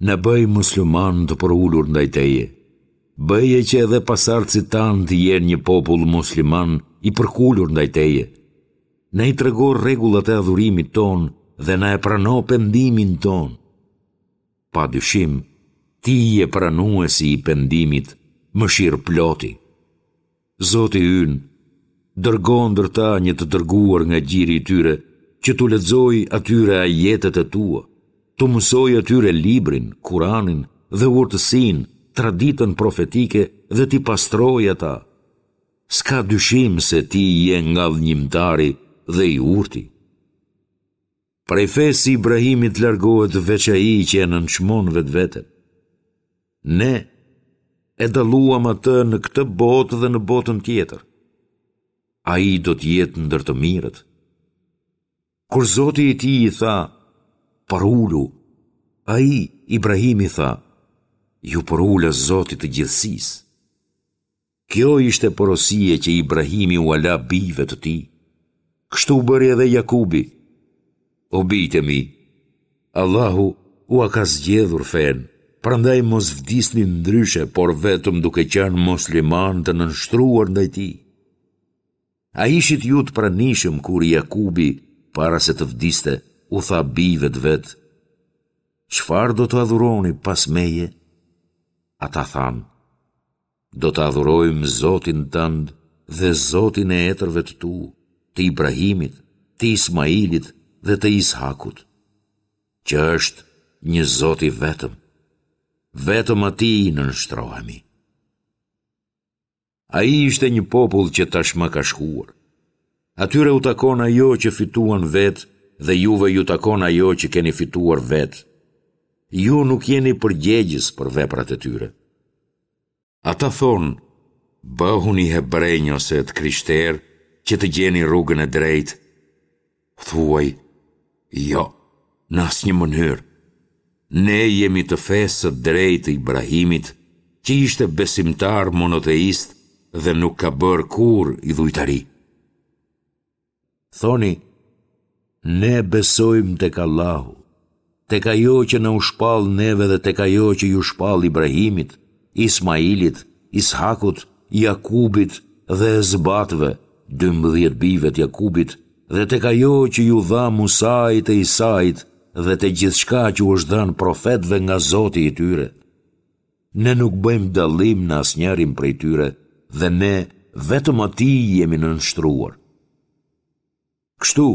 na bëj muslimanë të përulur ndaj Teje. Bëje që edhe pasardhësit tanë të jenë një popull musliman i përkulur ndaj Teje. Na i trego rregullat e adhurimit tonë dhe na e prano pendimin tonë. Pa dyshim, Ti je pranuesi i pendimit, mëshirëploti. Zoti ynë, dërgo ndër ta një të dërguar nga gjiri i tyre, që t'u lexojë atyre ajetet e tua, t'u mësojë atyre librin, Kuranin dhe urtësinë, traditën profetike dhe t'i pastrojë ata. S'ka dyshim se ti je ngadhënjimtari dhe i urti. Prej fesë së Ibrahimit largohet veç ai që e nënçmon vetveten. Ne e dalluam atë në këtë botë dhe në botën tjetër. Ai do të jetë ndër të mirët. Kur Zoti i tij i tha, përulu, ai, Ibrahimi tha, iu përula Zotit të gjithësisë. Kjo ishte porosia që Ibrahimi ua la bijve të tij. Kështu bëri edhe Jakubi. O bijtë e mi, Allahu ua ka zgjedhur fenë, prandaj mos vdisni ndryshe, por vetëm duke qenë muslimanë të nënshtruar ndaj tij. A ishit ju të pranishëm kur Jakubi, para se të vdiste, u tha bijve të vet, Çfarë do të adhuroni pas meje? Ata thanë, Do të adhurojmë Zotin tënd dhe Zotin e etërve të tu, të Ibrahimit, të Ismailit dhe të Ishakut, që është një Zot i vetëm. Vetëm atij i nënshtrohemi. Ai ishte një popull që tashmë ka shkuar. Atyre u takon ajo që fituan vetë dhe juve ju takon ajo që keni fituar vetë. Ju nuk jeni përgjegjës për veprat e tyre. Ata thonë, bëhuni hebrenj ose të krishterë që të gjeni rrugën e drejtë. Thuaj, jo, në asnjë mënyrë. Ne jemi të fesë së drejtë të Ibrahimit, që ishte besimtar monoteist dhe nuk ka bërë kurrë idhujtari. Thoni, ne besojmë tek Allahu, tek ajo që na u shpall neve dhe tek ajo që iu shpall Ibrahimit, Ismailit, Ishakut, Jakubit dhe Esbatëve, dymbëdhjetë bijve të Jakubit, dhe tek ajo që iu dha Musait e Isait dhe te gjithçka që u është dhënë profetëve nga Zoti i tyre. Ne nuk bëjmë dallim në asnjërin prej tyre dhe ne vetëm atij i jemi nënshtruar. Kështu,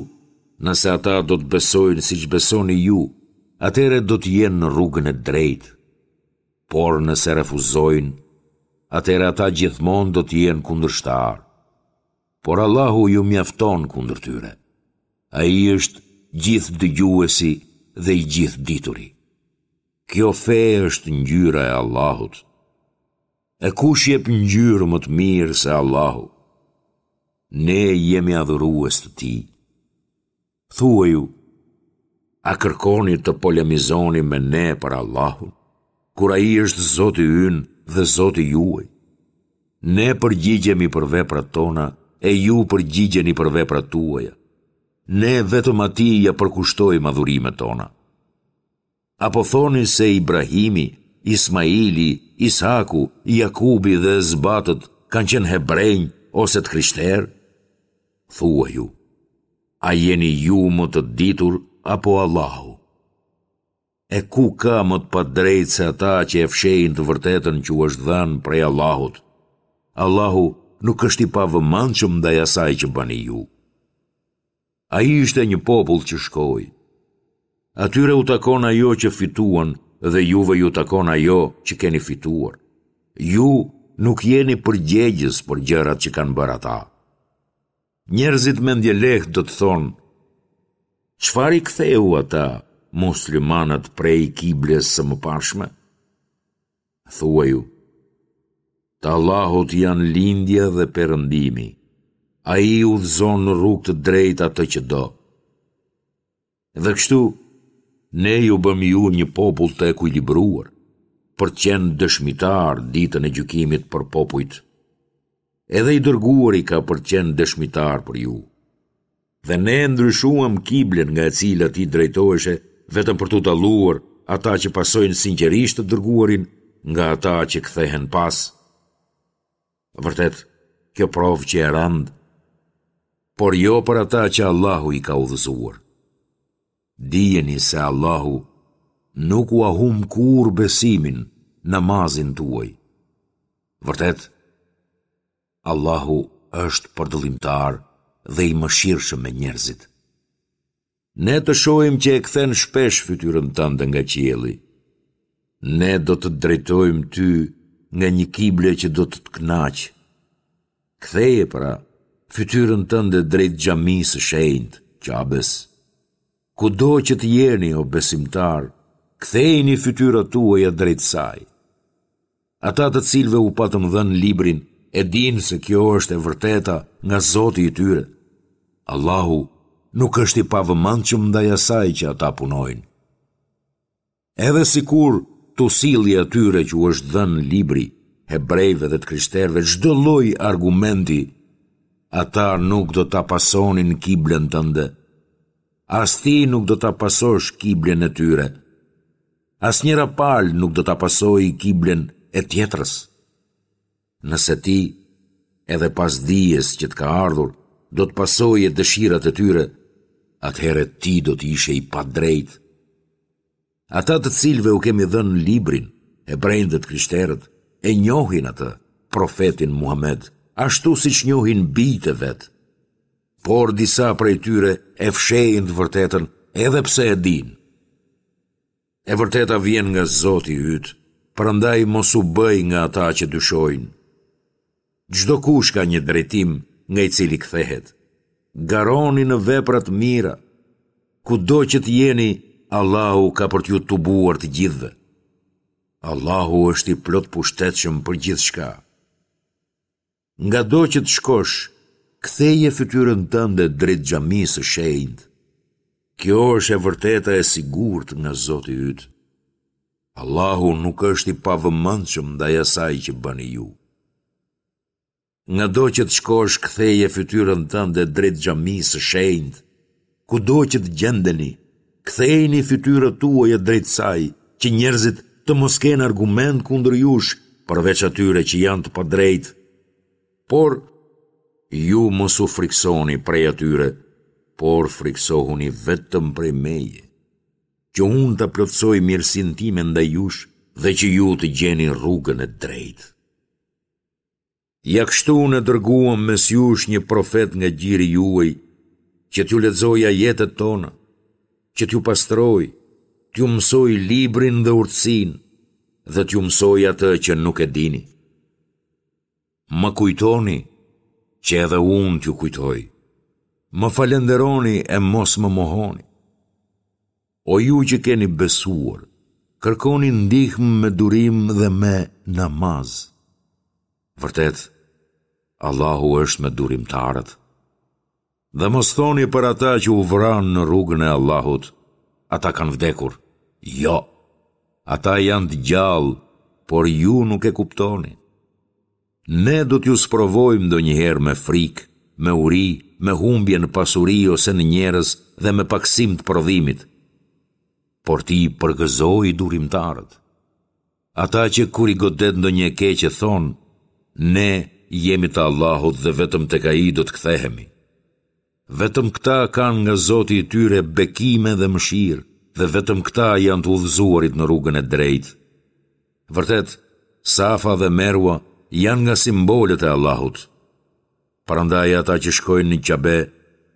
nëse ata do të besojnë siç besoni ju, atëherë do të jenë në rrugën e drejtë. Por nëse refuzojnë, atëherë ata gjithmonë do të jenë kundërshtarë. Por Allahu ju mjafton kundër tyre. Ai është gjithëdëgjuesi dhe i gjithëdituri. Kjo fe është ngjyra e Allahut. E kush jep ngjyrë më të mirë se Allahu? Ne jemi adhurues të Tij. Thuaju, a kërkoni të polemizoni me ne për Allahun, kur Ai është Zoti ynë dhe Zoti juaj? Ne përgjigjemi për veprat tona e ju përgjigjeni për veprat tuaja. Ne vetëm Atij ia përkushtojmë adhurimet tona. Apo thoni se Ibrahimi, Ismaili, Ishaku, Jakubi dhe Esbatët kanë qenë hebrenj ose të krishterë? Thuaju, a jeni ju më të ditur apo Allahu? E ku ka më të padrejtë se ata që e fshehin të vërtetën që u është dhënë prej Allahut? Allahu nuk është i pavëmendshëm ndaj asaj që bëni ju. Ai ishte një popull që shkoi. Atyre u takon ajo që fituan dhe juve ju takon ajo që keni fituar. Ju nuk jeni përgjegjës për gjërat që kanë bërë ata. Njerëzit mendjelehtë do të thonë, çfarë i ktheu ata muslimanët prej kibles së mëparshme? Thuaju, të Allahut janë lindja dhe perëndimi. Ai udhëzon në rrugë të drejtë atë që do. Dhe kështu, ne ju bëmë ju një popull të ekuilibruar, për të qenë dëshmitar ditën e gjykimit për popujt. Edhe i dërguari ka për të qenë dëshmitar për ju. Dhe ne ndryshuam kiblen nga e cila ti drejtoheshe vetëm për t'u dalluar ata që pasojnë sinqerisht të dërguarin nga ata që kthehen pas. Vërtet, kjo provë qe e rëndë, por jo për ata që Allahu i ka udhëzuar. Dijeni se Allahu nuk ua humb kurrë besimin, namazin tuaj. Vërtet, Allahu është përdëllimtar dhe i mëshirshëm me njerëzit. Ne të shohim që e kthen shpesh fytyrën tënde nga qielli. Ne do të të drejtojmë ty nga një kible që do të të kënaqë. Ktheje pra fytyrën tënde drejt xhamisë së shenjtë, Qabes. Kudo që të jeni, o besimtarë, kthejini fytyrat tuaja drejt saj. Ata të cilëve u patëm dhënë librin e dinë se kjo është e vërteta nga Zoti i tyre. Allahu nuk është i pavëmendshëm ndaj asaj që ata punojnë. Edhe sikur t'u sillje atyre që u është dhënë libri, hebrejve dhe të krishterëve çdo lloj argumenti, ata nuk do ta pasonin kiblen tënde. As ti nuk do ta pasosh kiblen e tyre. Asnjëra palë nuk do ta pasojë kiblen e tjetrës. Nëse ti, edhe pas dijes që të ka ardhur, do të pasoje dëshirat e tyre, atëherë ti do të ishe i padrejtë. Ata të cilëve u kemi dhënë librin, hebrenjtë dhe të krishterët, e njohin atë, profetin Muhamed, ashtu siç njohin bijtë e vet. Por disa prej tyre e fshehin të vërtetën edhe pse e dinë. E vërteta vjen nga Zoti yt, prandaj mos u bëj nga ata që dyshojnë. Çdokush ka një drejtim nga i cili kthehet. Garoni në vepra të mira. Kudo që të jeni, Allahu ka për t'ju tubuar të gjithëve. Allahu është i plotpushtetshëm për gjithçka. Ngado që të shkosh, ktheje fytyrën tënde drejt xhamisë së shenjtë. Kjo është e vërteta e sigurt nga Zoti yt. Allahu nuk është i pavëmendshëm ndaj asaj që bëni ju. Ngado që të shkosh, ktheje fytyrën tënde drejt xhamisë së shenjtë. Kudo që të gjendeni, kthejini fytyrat tuaja drejt saj, që njerëzit të mos kenë argument kundër jush, përveç atyre që janë të padrejtë. Por, ju mos u frikësoni prej atyre, por frikësohuni vetëm prej meje, që unë ta plotësoj mirësinë time ndaj jush dhe që ju të gjeni rrugën e drejtë. Ja kështu ne dërguam mes jush një profet nga gjiri juaj, që t'ju lexojë ajetet tona, që t'ju pastrojë, t'ju mësojë librin dhe urtësinë, dhe t'ju mësojë atë që nuk e dini. Më kujtoni, që edhe unë t'ju kujtoj. Më falënderoni e mos më mohoni. O ju që keni besuar, kërkoni ndihmë me durim dhe me namaz. Vërtet, Allahu është me durimtarët. Dhe mos thoni për ata që u vranë në rrugën e Allahut, ata kanë vdekur. Jo, ata janë të gjallë, por ju nuk e kuptoni. Ne do t'ju sprovojmë ndonjëherë me frikë, me uri, me humbje në pasuri ose në njerëz dhe me pakësim të prodhimit. Por ti përgëzoji durimtarët. Ata që kur i godet ndonjë e keqe thonë, Ne jemi të Allahut dhe vetëm tek Ai do të kthehemi. Vetëm këta kanë nga Zoti i tyre bekime dhe mëshirë dhe vetëm këta janë të udhëzuarit në rrugën e drejtë. Vërtet, Safa dhe Merwa janë nga simbolet e Allahut. Prandaj ata që shkojnë në Qabe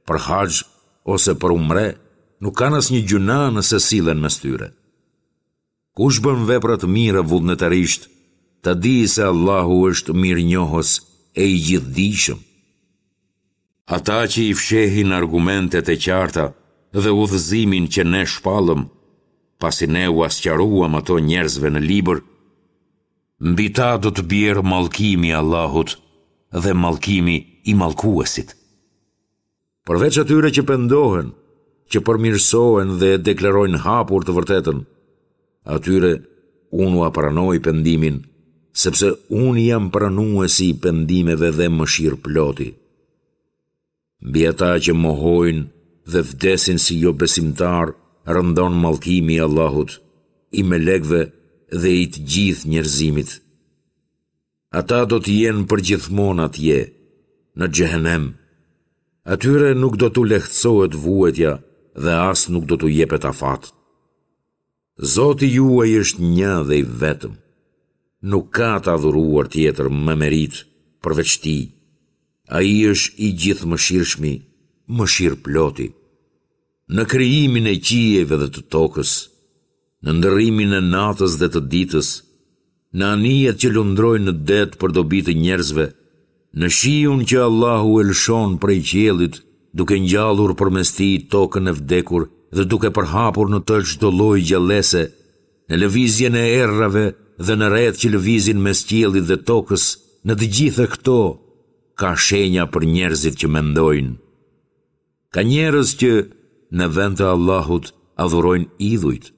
për haxh ose për umre nuk kanë asnjë gjynah nëse sillen mes tyre. Kush bën vepra të mira vullnetarisht, ta dijë se Allahu është mirënjohës e i gjithëdijshëm. Ata që i fshehin argumentet e qarta dhe udhëzimin që ne shpallëm, pasi ne ua sqaruam ato njerëzve në libër, mbi ta do të bjerë mallkimi i Allahut dhe mallkimi i mallkuesit. Përveç atyre që pendohen, që përmirësohen dhe e deklarojnë hapur të vërtetën, atyre unë ua pranoj pendimin, sepse unë jam pranuesi i pendimeve dhe mëshirëploti. Mbi ata që mohojnë dhe vdesin si jobesimtarë rëndon mallkimi i Allahut, i melekëve dhe i të gjithë njerëzimit. Ata do të jenë përgjithmonë atje, në xhehenem. Atyre nuk do t'u lehtësohet vuajtja dhe as nuk do t'u jepet afat. Zoti juaj është një dhe i vetëm. Nuk ka të adhuruar tjetër me meritë përveç tij. Ai është i gjithëmëshirshmi, mëshirëploti. Në krijimin e qiejve dhe të tokës, në ndërrimin e natës dhe të ditës, në anijet që lundrojnë në det për dobi të njerëzve, në shiun që Allahu e lëshon prej qiellit, duke ngjallur përmes tij tokën e vdekur dhe duke përhapur në të çdo lloj gjallese, në lëvizjen e erërave dhe në retë që lëvizin mes qiellit dhe tokës, në të gjitha këto ka shenja për njerëzit që mendojnë. Ka njerëz që në vend të Allahut adhurojnë idhujt,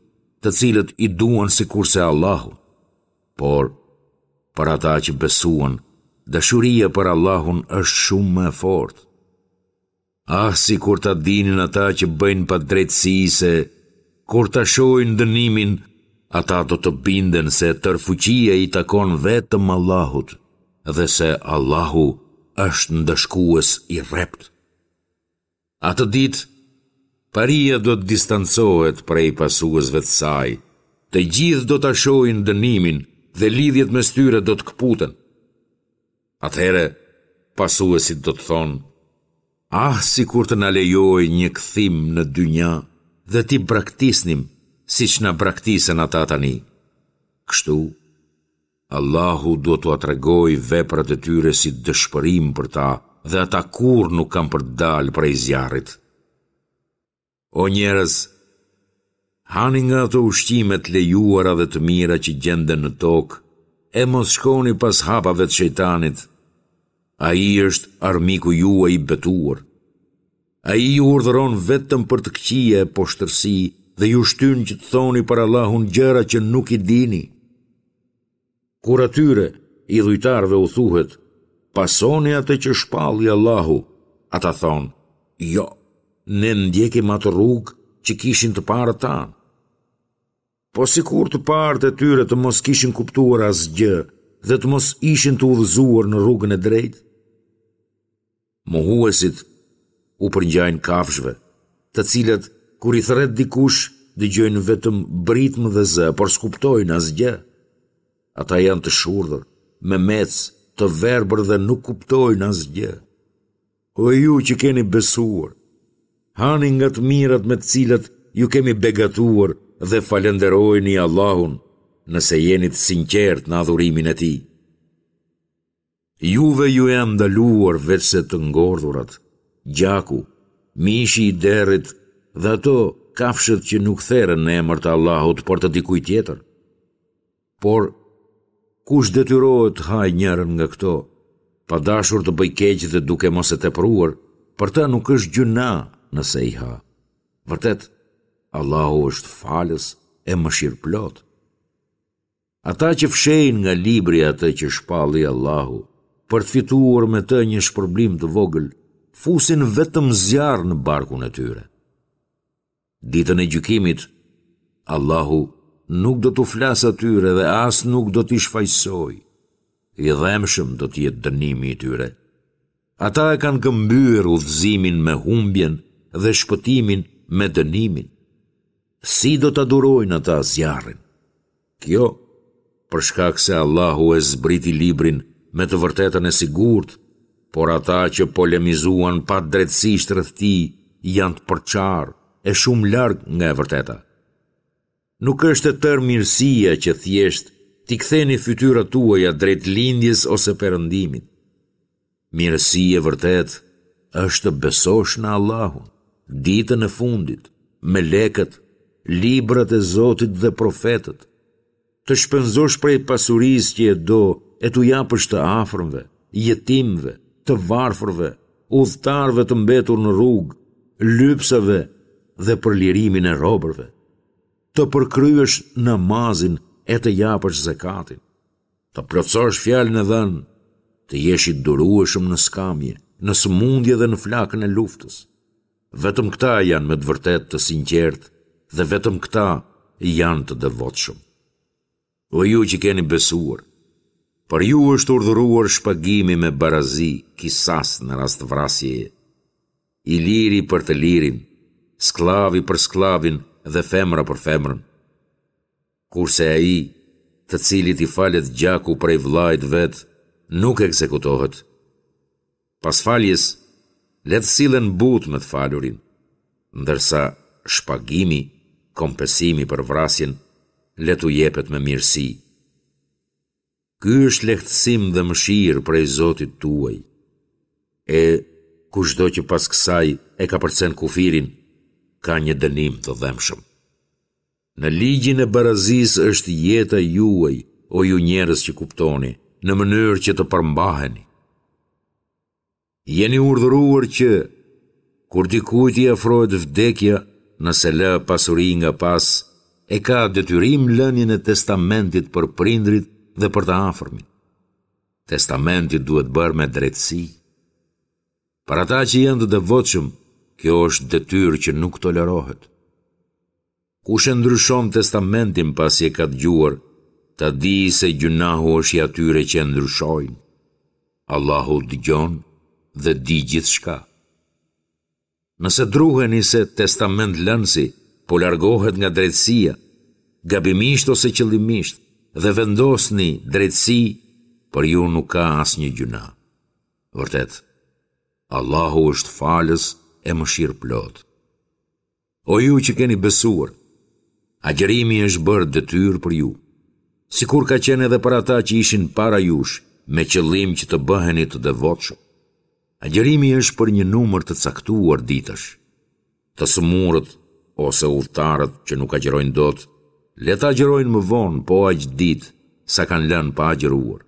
të cilët i duan sikurse Allahun. Por, për ata që besuan, dashuria për Allahun është shumë më e fortë. Ah, sikur ta dinin ata që bëjnë padrejtësi se, kur ta shohin dënimin, ata do të binden se tërë fuqia i takon vetëm Allahut dhe se Allahu është ndëshkues i rreptë. Atë ditë, paria do të distancohet prej pasuesve të saj, të gjithë do ta shohin dënimin dhe lidhjet mes tyre do të këputen. Atëherë, pasuesit do të thonë, ah, sikur të na lejohej një kthim në dynja dhe t'i braktisnim siç na braktisën ata tani. Kështu, Allahu do t'ua tregojë veprat e tyre si dëshpërim për ta dhe ata kurrë nuk kanë për të dalë prej zjarrit. O njerëz, hani nga ato ushqime të lejuara dhe të mira që gjenden në tokë, e mos shkoni pas hapave të shejtanit. Ai është armiku juaj i betuar. Ai ju urdhëron vetëm për të këqija e poshtërsi dhe ju shtyn që të thoni për Allahun gjëra që nuk i dini. Kur atyre, idhujtarëve u thuhet, pasoni atë që shpalli Allahu, ata thonë, jo, ne ndjekim atë rrugë që kishin të parët tanë. Po sikur të parët e tyre të mos kishin kuptuar asgjë dhe të mos ishin të udhëzuar në rrugën e drejtë? Mohuesit u përngjajnë kafshëve, të cilat kur i thërret dikush dëgjojnë vetëm britmë dhe zë, por s'kuptojnë asgjë. Ata janë të shurdhër, memecë, të verbër dhe nuk kuptojnë asgjë. O ju që keni besuar, hani nga të mirat me të cilat ju kemi begatuar dhe falënderojeni Allahun nëse jeni të sinqertë në adhurimin e tij. Juve ju janë ndaluar veçse të ngordhurat, gjaku, mishi i derrit dhe ato kafshët që nuk theren në emër të Allahut, por të dikujt tjetër. Por, kush detyrohet të hajë njërën nga këto, pa dashur të bëjë keq dhe duke mos e tepruar, për të nuk është gjynah nëse i ha. Vërtet, Allahu është falës e mëshirëplotë. Ata që fshehin nga libri atë që shpalli Allahu, për të fituar me të një shpërblim të vogël, fusin vetëm zjarr në barkun e tyre. Ditën e gjykimit, Allahu nuk do t'u flasë atyre dhe as nuk do t'i shfajësojë. I dhembshëm do të jetë dënimi i tyre. Ata e kanë këmbyer udhëzimin me humbjen dhe shpëtimin me dënimin. Si do ta durojnë ata zjarrin? Kjo, për shkak se Allahu e zbriti librin me të vërtetën e sigurt, por ata që polemizuan padrejtësisht rreth tij janë të përçarë e shumë larg nga e vërteta. Nuk është e tërë mirësia që thjesht t'i ktheni fytyrat tuaja drejt lindjes ose perëndimit. Mirësi e vërtetë është të besosh në Allahun, ditën e fundit, melekët, librat e Zotit dhe profetët, të shpenzosh prej pasurisë që e do e t'u japësh të afërmve, jetimëve, të varfërve, udhëtarëve të mbetur në rrugë, lypsave dhe për lirimin e robërve, të përkryesh namazin e të japësh zekatin, të plotësosh fjalën e dhënë, të jesh i durueshëm në skamje, në sëmundje dhe në flakën e luftës. Vetëm këta janë me të vërtetë të sinqertë dhe vetëm këta janë të devotshëm. O ju që keni besuar, për ju është urdhëruar shpagimi me barazi, kisas në rast vrasjeje. I liri për të lirin, skllavi për skllavin dhe femra për femrën. Kurse ai, të cilit i falet gjaku prej vëllait vet, nuk ekzekutohet. Pas faljes, le të sillen butë me të falurin, ndërsa shpagimi, kompensimi për vrasjen, le t'u jepet me mirësi. Ky është lehtësim dhe mëshirë prej Zotit tuaj. E kushdo që pas kësaj e kapërcen kufirin, ka një dënim të dhembshëm. Në ligjin e barazisë është jeta juaj, o ju njerëz që kuptoni, në mënyrë që të përmbaheni. Jeni urdhëruar që, kur dikujt i afrohet vdekja, nëse lë pasuri nga pas, e ka detyrim lënien e testamentit për prindërit dhe për të afërmit. Testamenti duhet bërë me drejtësi. Për ata që janë të devotshëm, kjo është detyrë që nuk tolerohet. Kush e ndryshon testamentin pasi e ka dëgjuar, ta dijë se gjynahu është i atyre që e ndryshojnë. Allahu dëgjon dhe di gjithçka. Nëse druheni se testamentlënësi po largohet nga drejtësia, gabimisht ose qëllimisht, dhe vendosni drejtësi, për ju nuk ka asnjë gjynah. Vërtet, Allahu është falës e mëshirëplotë. O ju që keni besuar, agjërimi është bërë detyrë për ju, sikur ka qenë edhe për ata që ishin para jush, me qëllim që të bëheni të devotshëm. Agjërimi është për një numër të caktuar ditësh. Të sëmurët ose udhëtarët që nuk agjërojnë dot, le të agjërojnë më vonë po aq ditë sa kanë lënë pa agjëruar.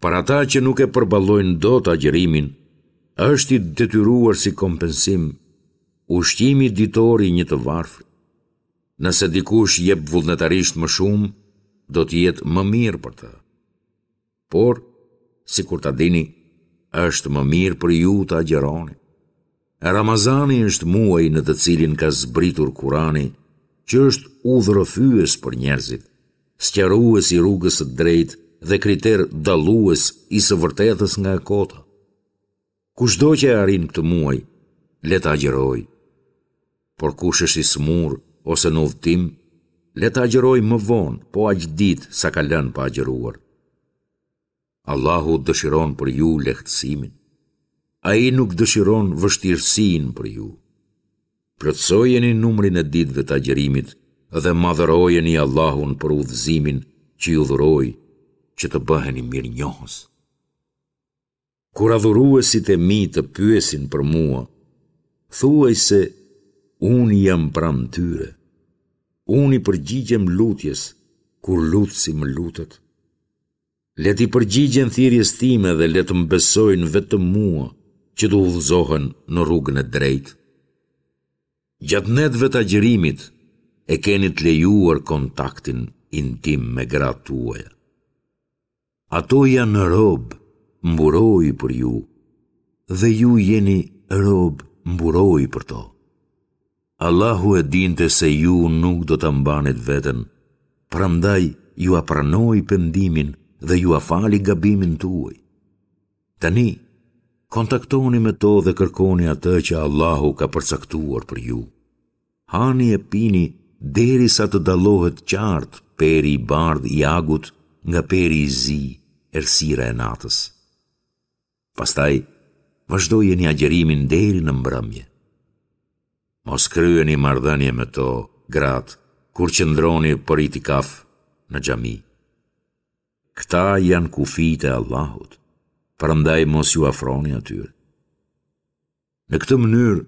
Për ata që nuk e përballojnë dot agjërimin, është i detyruar si kompensim ushqimi ditor i një të varfri. Nëse dikush jep vullnetarisht më shumë, do të jetë më mirë për të. Por, sikur ta dini, është më mirë për ju të agjëroni. Ramazani është muaji në të cilin ka zbritur Kurani, që është udhërrëfyes për njerëzit, sqarues i rrugës së drejtë dhe kriter dallues i së vërtetës nga e kota. Kushdo që e arrin këtë muaj, le të agjërojë. Por kush është i sëmurë ose në udhëtim, le të agjërojë më vonë, po aq ditë sa ka lënë pa agjëruar. Allahu dëshiron për ju lehtësimin. Ai nuk dëshiron vështirësinë për ju. Plotësojeni numrin e ditëve të agjërimit dhe madhërojeni Allahun për udhëzimin që ju dhuroi, që të bëheni mirënjohës. Kur adhuruesit e mi të pyesin për mua, thuaj se unë jam pranë tyre. Unë i përgjigjem lutjes, kur lutësi më lutet. Le t'i përgjigjen thirrjes time dhe le të më besojnë vetëm mua, që të udhëzohen në rrugën e drejtë. Gjatë netëve të agjërimit e keni të lejuar kontaktin intim me gratë tuaja. Ato janë rob mburojë për ju dhe ju jeni rob mburojë për to. Allahu e dinte se ju nuk do ta mbanit veten, prandaj jua pranoi pendimin dhe jua fali gabimin tuaj. Tani, kontaktoni me to dhe kërkoni atë që Allahu ka përcaktuar për ju. Hani e pini derisa të dallohet qartë peri i bardhë i agut nga peri i zi, errësira e natës. Pastaj, vazhdojeni agjërimin deri në mbrëmje. Mos kryeni marrëdhënie me to, gratë, kur qëndroni për itikaf në xhami. Këta janë kufijtë e Allahut, prandaj mos iu afroni atyre. Në këtë mënyrë,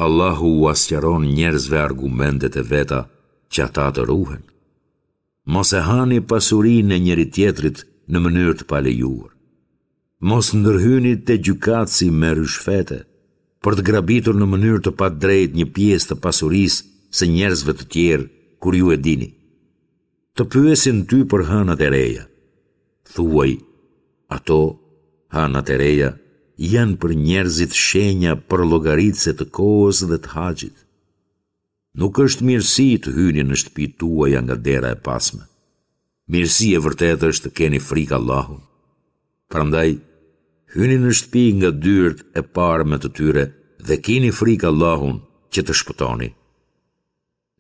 Allahu ua sqaron njerëzve argumentet e veta që ata të ruhen. Mos e hani pasurinë e njëri-tjetrit në mënyrë të palejuar. Mos ndërhyni te gjykatësi me ryshfete, për të grabitur në mënyrë të padrejtë një pjesë të pasurisë së njerëzve të tjerë kur ju e dini. Të pyesin ty për hënat e reja. Thuaj, ato, hënat e reja, janë për njerëzit shenja përllogaritëse të kohës dhe të haxhit. Nuk është mirësi të hyni në shtëpitë tuaja nga dera e pasme. Mirësi e vërtetë është të keni frikë Allahun. Prandaj, hyni në shtëpi nga dyert e parme të tyre dhe kini frikë Allahun që të shpëtoni.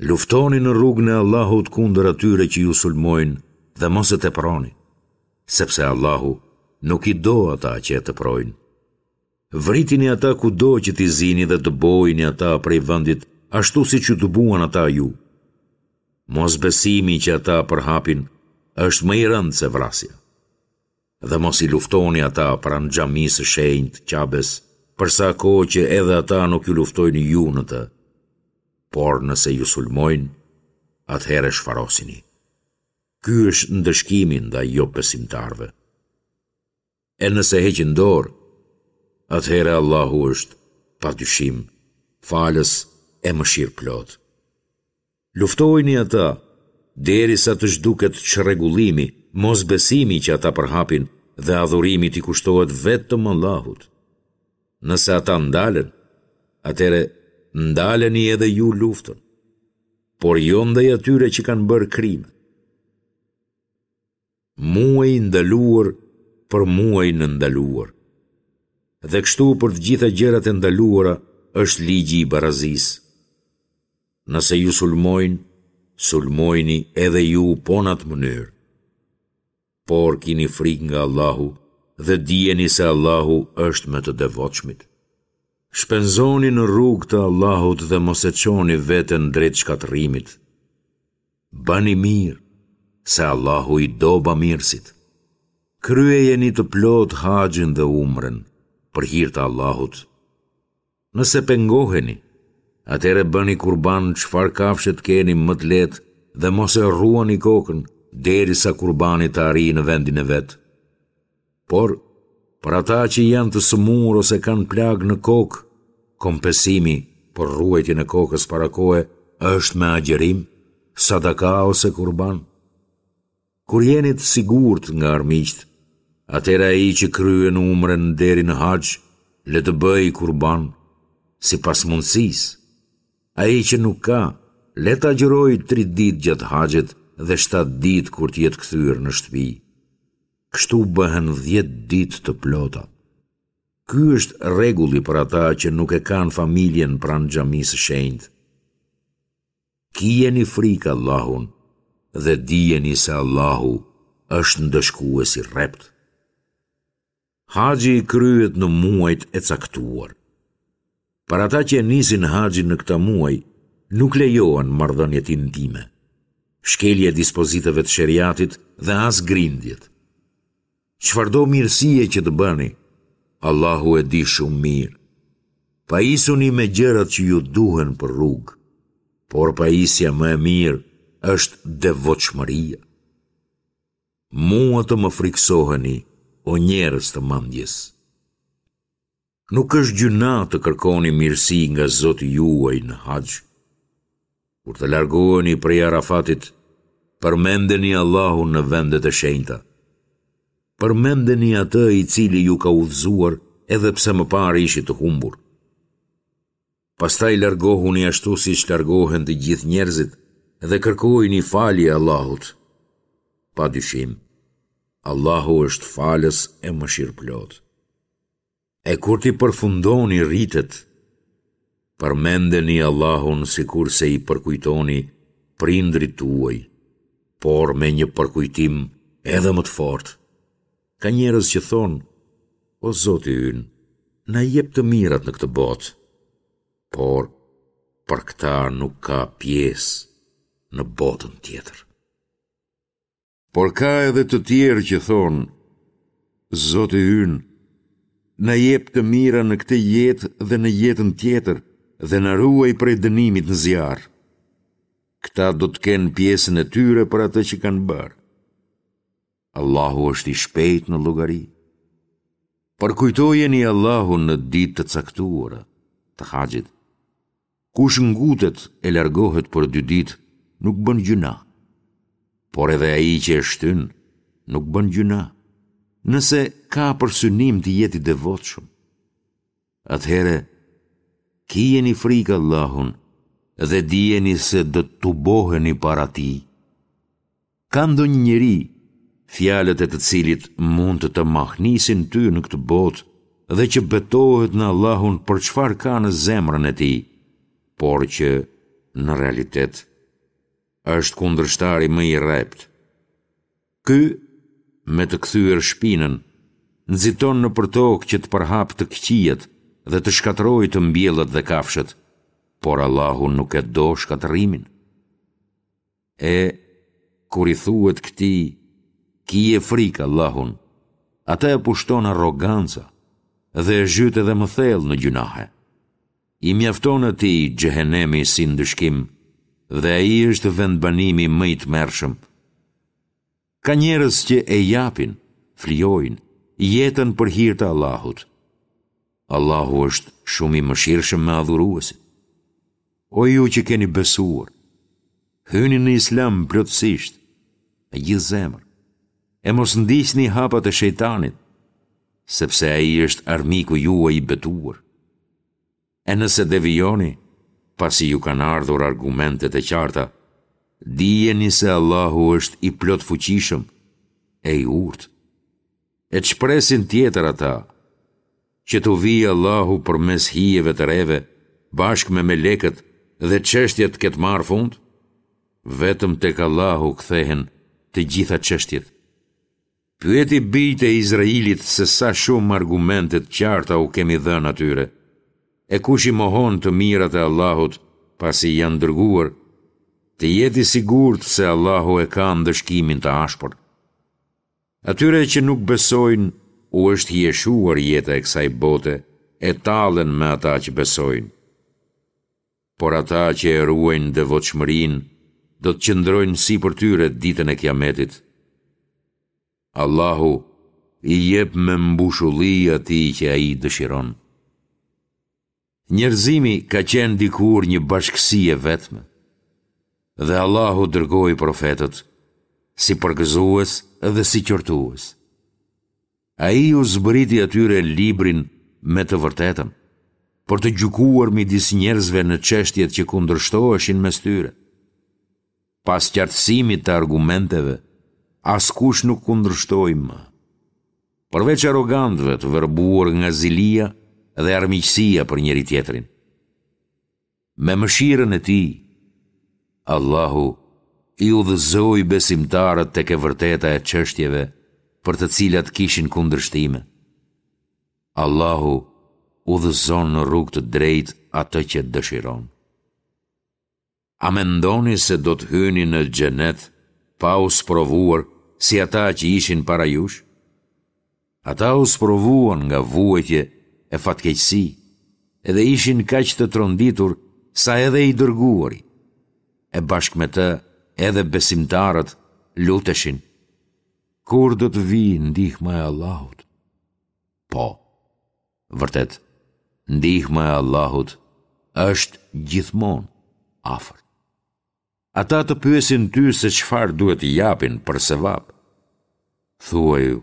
Luftoni në rrugën e Allahut kundër atyre që ju sulmojnë dhe mos e teproni, sepse Allahu nuk i do ata që e teprojnë. Vritini ata kudo që t'i zini dhe dëbojini ata prej vendit ashtu siç ju dëbuan ata ju. Mosbesimi që ata përhapin është më i rëndë se vrasja. Dhe mos i luftoni ata pranë xhamisë së shenjtë, Qabes, për sa kohë që edhe ata nuk ju luftojnë ju në të. Por nëse ju sulmojnë, atëherë shfarosini. Ky është ndëshkimi ndaj jobesimtarëve. E nëse heqin dorë, atëherë Allahu është, pa dyshim, falës e mëshirëplotë. Luftojini ata, derisa të zhduket çrregullimi, mosbesimi që ata përhapin dhe adhurimi t'i kushtohet vetëm Allahut. Nëse ata ndalen, atëherë ndaleni edhe ju luftën, por jo ndaj atyre që kanë bërë krime. Muaj i ndaluar për muajin e ndaluar. Dhe kështu për të gjitha gjërat e ndaluara është ligji i barazisë. Nëse ju sulmojnë, sulmojini edhe ju po në atë mënyrë. Por kini frikë nga Allahu dhe dijeni se Allahu është me të devotshmit. Shpenzoni në rrugë të Allahut dhe mos e çoni veten drejt shkatërrimit. Bëni mirë, se Allahu i do bamirësit. Kryejeni të plotë haxhin dhe umren, për hir të Allahut. Nëse pengoheni, atëherë bëni kurban çfarë kafshe të keni më të lehtë dhe mos e rruani kokën derisa kurbani të arrijë në vendin e vet. Por, për ata që janë të sëmurë ose kanë plagë në kokë, kompensimi për rruajtjen e kokës para kohe është me agjërim, sadaka ose kurban. Kur jeni të sigurt nga armiqtë, atëherë ai që kryen umren deri në haxh, le të bëjë kurban, sipas mundësisë. Ai që nuk ka, le të agjërojë tri ditë gjatë haxhit dhe shtatë ditë kur të jetë kthyer në shtëpi. Kështu bëhen dhjetë ditë të plota. Ky është rregulli për ata që nuk e kanë familjen pranë xhamisë së shenjtë. Kijeni frikë Allahun dhe dijeni se Allahu është ndëshkues i rreptë. Haxhi kryhet në muajt e caktuar. Për ata që e nisin haxhin në këta muaj, nuk lejohen marrëdhëniet intime, shkelja e dispozitave të sheriatit dhe as grindjet. Çfarëdo mirësie që të bëni, Allahu e di shumë mirë. Pajisuni me gjërat që ju duhen për rrugë, por pajisja më e mirë është devotshmëria. Mua të më frikësoheni, o njerëz të mendjes. Nuk është gjynah të kërkoni mirësi nga Zoti juaj në haxh. Kur të largoheni prej Arafatit, përmendeni Allahun në vendet e shenjta. Përmendeni atë i cili ju ka udhëzuar edhe pse më parë ishit të humbur. Pastaj largohuni ashtu siç largohen të gjithë njerëzit dhe kërkojini falje Allahut. Pa dyshim, Allahu është falës e mëshirëplotë. E kur t'i përfundoni ritet, përmendeni Allahun sikurse i përkujtoni prindërit tuaj, por me një përkujtim edhe më të fortë. Ka njerëz që thonë, O Zoti ynë, na jep të mirat në këtë botë, por për këta nuk ka pjesë në botën tjetër. Por ka edhe të tjerë që thonë, Zoti ynë, na jep të mira në këtë jetë dhe në jetën tjetër dhe na ruaj prej dënimit në zjarr. Këta do të kenë pjesën e tyre për atë që kanë bërë. Allahu është i shpejtë në llogari. Përkujtojeni Allahun në ditë të caktuara, të haxhit. Kush ngutet e largohet për dy ditë, nuk bën gjynah. Por edhe ai që e shtyn, nuk bën gjynah, nëse ka për synim të jetë i devotshëm. Atëherë, kijeni frikë Allahun dhe dijeni se do të tuboheni para Tij. Ka ndonjë njeri, fjalët e të cilit mund të të mahnisin ty në këtë botë dhe që betohet në Allahun për çfarë ka në zemrën e tij, por që në realitet është kundërshtari më i rreptë. Ky, me të kthyer shpinën, nxiton nëpër tokë që të përhapë të këqijat dhe të shkatërrojë të mbjellat dhe kafshët, por Allahu nuk e do shkatërrimin. E, kur i thuhet këtij, kije frikë Allahun, atë e pushton arroganca dhe e zhyt edhe më thellë në gjynahe. I mjafton atij xhehenemi si ndëshkim dhe ai është vendbanimi më i tmerrshëm. Ka njerëz që e japin, flijojnë, jetën për hir të Allahut. Allahu është shumë i mëshirshëm me adhuruesit. O ju që keni besuar, hyni në Islam plotësisht, me gjithë zemër, e mos ndiqni hapat e shejtanit, sepse ai është armiku juaj i betuar. E nëse devijoni, pasi ju kanë ardhur argumentet e qarta, dijeni se Allahu është i plotfuqishëm e i urtë. E ç'presin tjetër ata, që t'u vijë Allahu përmes hijeve të reve, bashkë me melekët dhe çështja të ketë marrë fund? Vetëm tek Allahu kthehen të gjitha çështjet. Pyeti bijtë e Izraelit se sa shumë argumente të qarta u kemi dhënë atyre. E kush i mohon të mirat e Allahut pasi i janë dërguar, të jetë i sigurt se Allahu e ka ndëshkimin të ashpër. Atyre që nuk besojnë u është hijeshuar jeta e kësaj bote e tallen me ata që besojnë. Por ata që e ruajnë devotshmërinë do të qëndrojnë sipër tyre ditën e Kiametit. Allahu i jep me mbushulli atij që ai dëshiron. Njerëzimi ka qenë dikur një bashkësi e vetme, dhe Allahu dërgoi profetët si përgëzues dhe si qortues. Ai u zbriti atyre librin me të vërtetën, për të gjykuar midis njerëzve në çështjet që kundërshtoheshin mes tyre. Pas qartësimit të argumenteve, askush nuk kundërshtoi më. Përveç arrogantëve të verbuar nga zilia dhe armiqësia për njëri-tjetrin. Me mëshirën e Tij, Allahu i udhëzoi besimtarët tek e vërteta e çështjeve për të cilat kishin kundërshtime. Allahu udhëzon në rrugë të drejtë atë që dëshiron. A mendoni se do të hyni në xhenet pa u sprovuar si ata që ishin para jush? Ata u sprovuan nga vuajtje e fatkeqësi, edhe ishin kaq të tronditur sa edhe i dërguari, e bashkë me të edhe besimtarët luteshin. Kur do të vijë ndihma e Allahut? Po, vërtet, ndihma e Allahut është gjithmonë afër. Ata të pyesin ty se çfarë duhet të japin për sevap. Thuaju,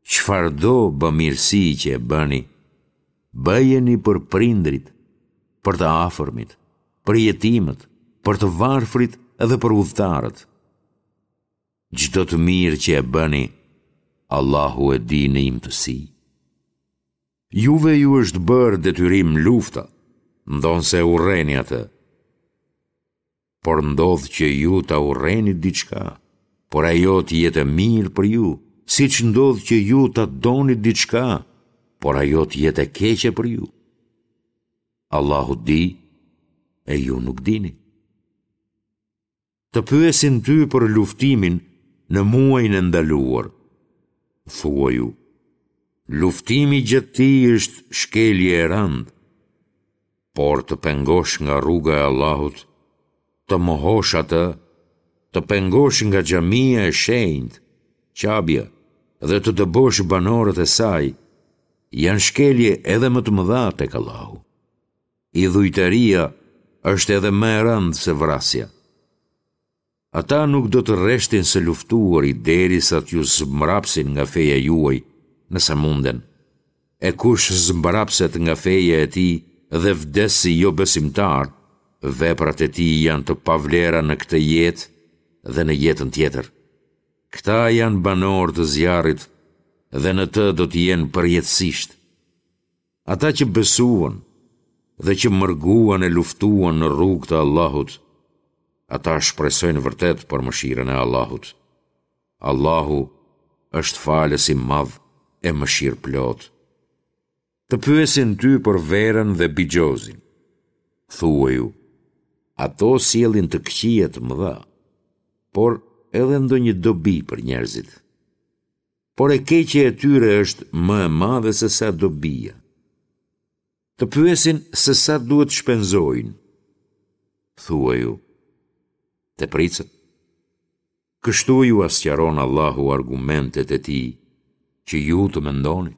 çfarëdo bamirësi që e bëni, bëjeni për prindërit, për të afërmit, për jetimët, për të varfrit dhe për udhëtarët. Çdo të mirë që e bëni, Allahu e di në imtësi. Juve ju është bërë detyrim lufta, ndonëse e urreni atë. Por ndodh që ju ta urreni diçka, por ajo të jetë e mirë për ju, siç ndodh që ju ta doni diçka, por ajo të jetë e keqe për ju. Allahu di e ju nuk dini. Të pyesin ty për luftimin në muajin e ndaluar. Thuaju, luftimi gjatë tij është shkelje e rëndë, por të pengosh nga rruga e Allahut, të mohosh atë, të pengosh nga xhamia e shenjtë, Qabja, dhe të dëbosh banorët e saj, janë shkelje edhe më të mëdha tek Allahu. Idhujtaria është edhe më e rëndë se vrasja. Ata nuk do të reshtin së luftuari derisa t'ju zmbrapsin nga feja juaj, nëse munden. E kush zmbrapset nga feja e tij dhe vdes si jobesimtar, veprat e tij janë të pavlera në këtë jetë dhe në jetën tjetër. Këta janë banorë të zjarrit dhe në të do të jenë përjetësisht. Ata që besuan dhe që mërguan e luftuan në rrugë të Allahut, ata shpresojnë vërtet për mëshirën e Allahut. Allahu është falës i madh e mëshirëplotë. Të pyesin ty për verën dhe bixhozin. Thuaju, ato sjellin të këqija të mëdha, por edhe ndonjë dobi për njerëzit. Por e keqja e tyre është më e madhe se sa dobia. Të pyesin se sa duhet të shpenzojnë. Thuaju, tepricën. Kështu jua sqaron Allahu argumentet e tij, që ju të mendoni.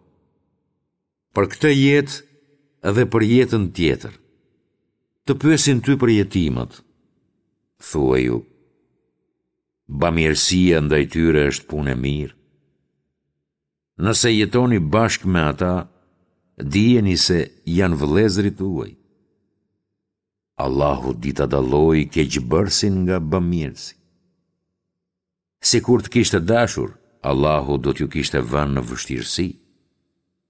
Për këtë jetë dhe për jetën tjetër. Të pyesin ty për jetimët. Thuaju, bamirësia ndaj tyre është punë e mirë. Nëse jetoni bashkë me ata, dijeni se janë vëllezërit tuaj. Allahu di ta dallojë keqbërësin nga bamirësi. Sikur të kishte dashur, Allahu do t'ju kishte vënë në vështirësi.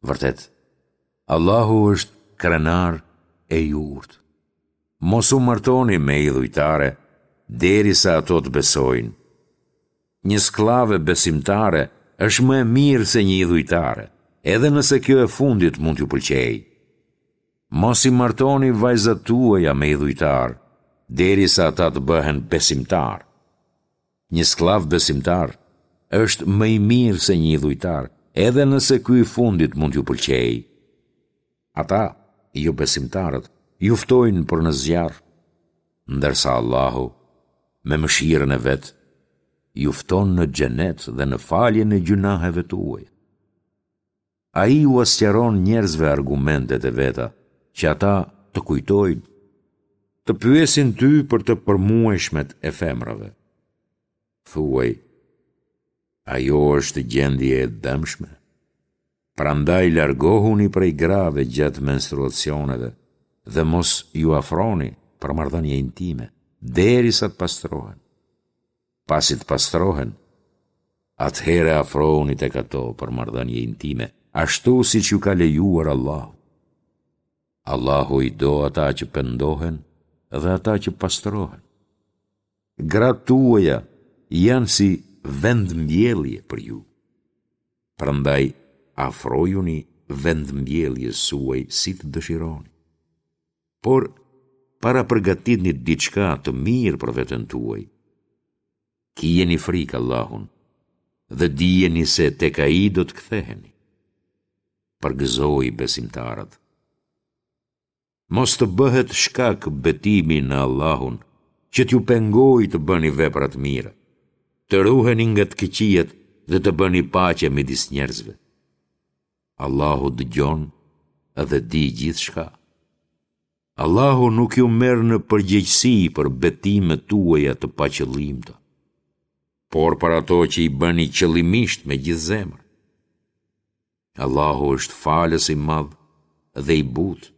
Vërtet, Allahu është krenar e i urtë. Mos u martoni me idhujtare derisa ato të besojnë. Një skllave besimtare është më e mirë se një idhujtare, edhe nëse kjo e fundit mund t'ju pëlqejë. Mos i martoni vajzat tuaja me idhujtarë, derisa ata të bëhen besimtarë. Një skllav besimtar është më i mirë se një idhujtar, edhe nëse ky i fundit mund t'ju pëlqejë. Ata, jobesimtarët, ju ftojnë për në zjarr, ndërsa Allahu, me mëshirën e vet, ju fton në xhenet dhe në faljen e gjynaheve tuaja. Ai ua sqaron njerëzve argumentet e veta, që ata të kujtojnë, të pyesin ty për të përmuajshmet e femrave. Thuaj, ajo është gjendje e dëmshme. Prandaj largohuni prej grave gjatë menstruacioneve dhe mos iu afroni për marrëdhënie intime, derisa të pastrohen. Pasi të pastrohen, atëherë afrohuni tek ato për marrëdhënie intime, ashtu siç ju ka lejuar Allahu. Allahu i do ata që pendohen dhe ata që pastrohen. Gratë tuaja janë si vendmbjellje për ju. Prandaj afrojuni vendmbjelljes suaj si të dëshironi. Por parapërgatitni diçka të mirë për veten tuaj. Kijeni frikë Allahun dhe dijeni se tek Ai do të ktheheni. Përgëzoji besimtarët. Mos të bëhet shkak betimi në Allahun që t'ju pengojë të bëni vepra të mira, të ruheni nga të këqijat dhe të bëni paqe midis njerëzve. Allahu dëgjon dhe di gjithçka. Allahu nuk ju merr në përgjegjësi për betimet tuaja të paqëllimta, por për ato që i bëni qëllimisht me gjithë zemër. Allahu është falës i madh dhe i butë.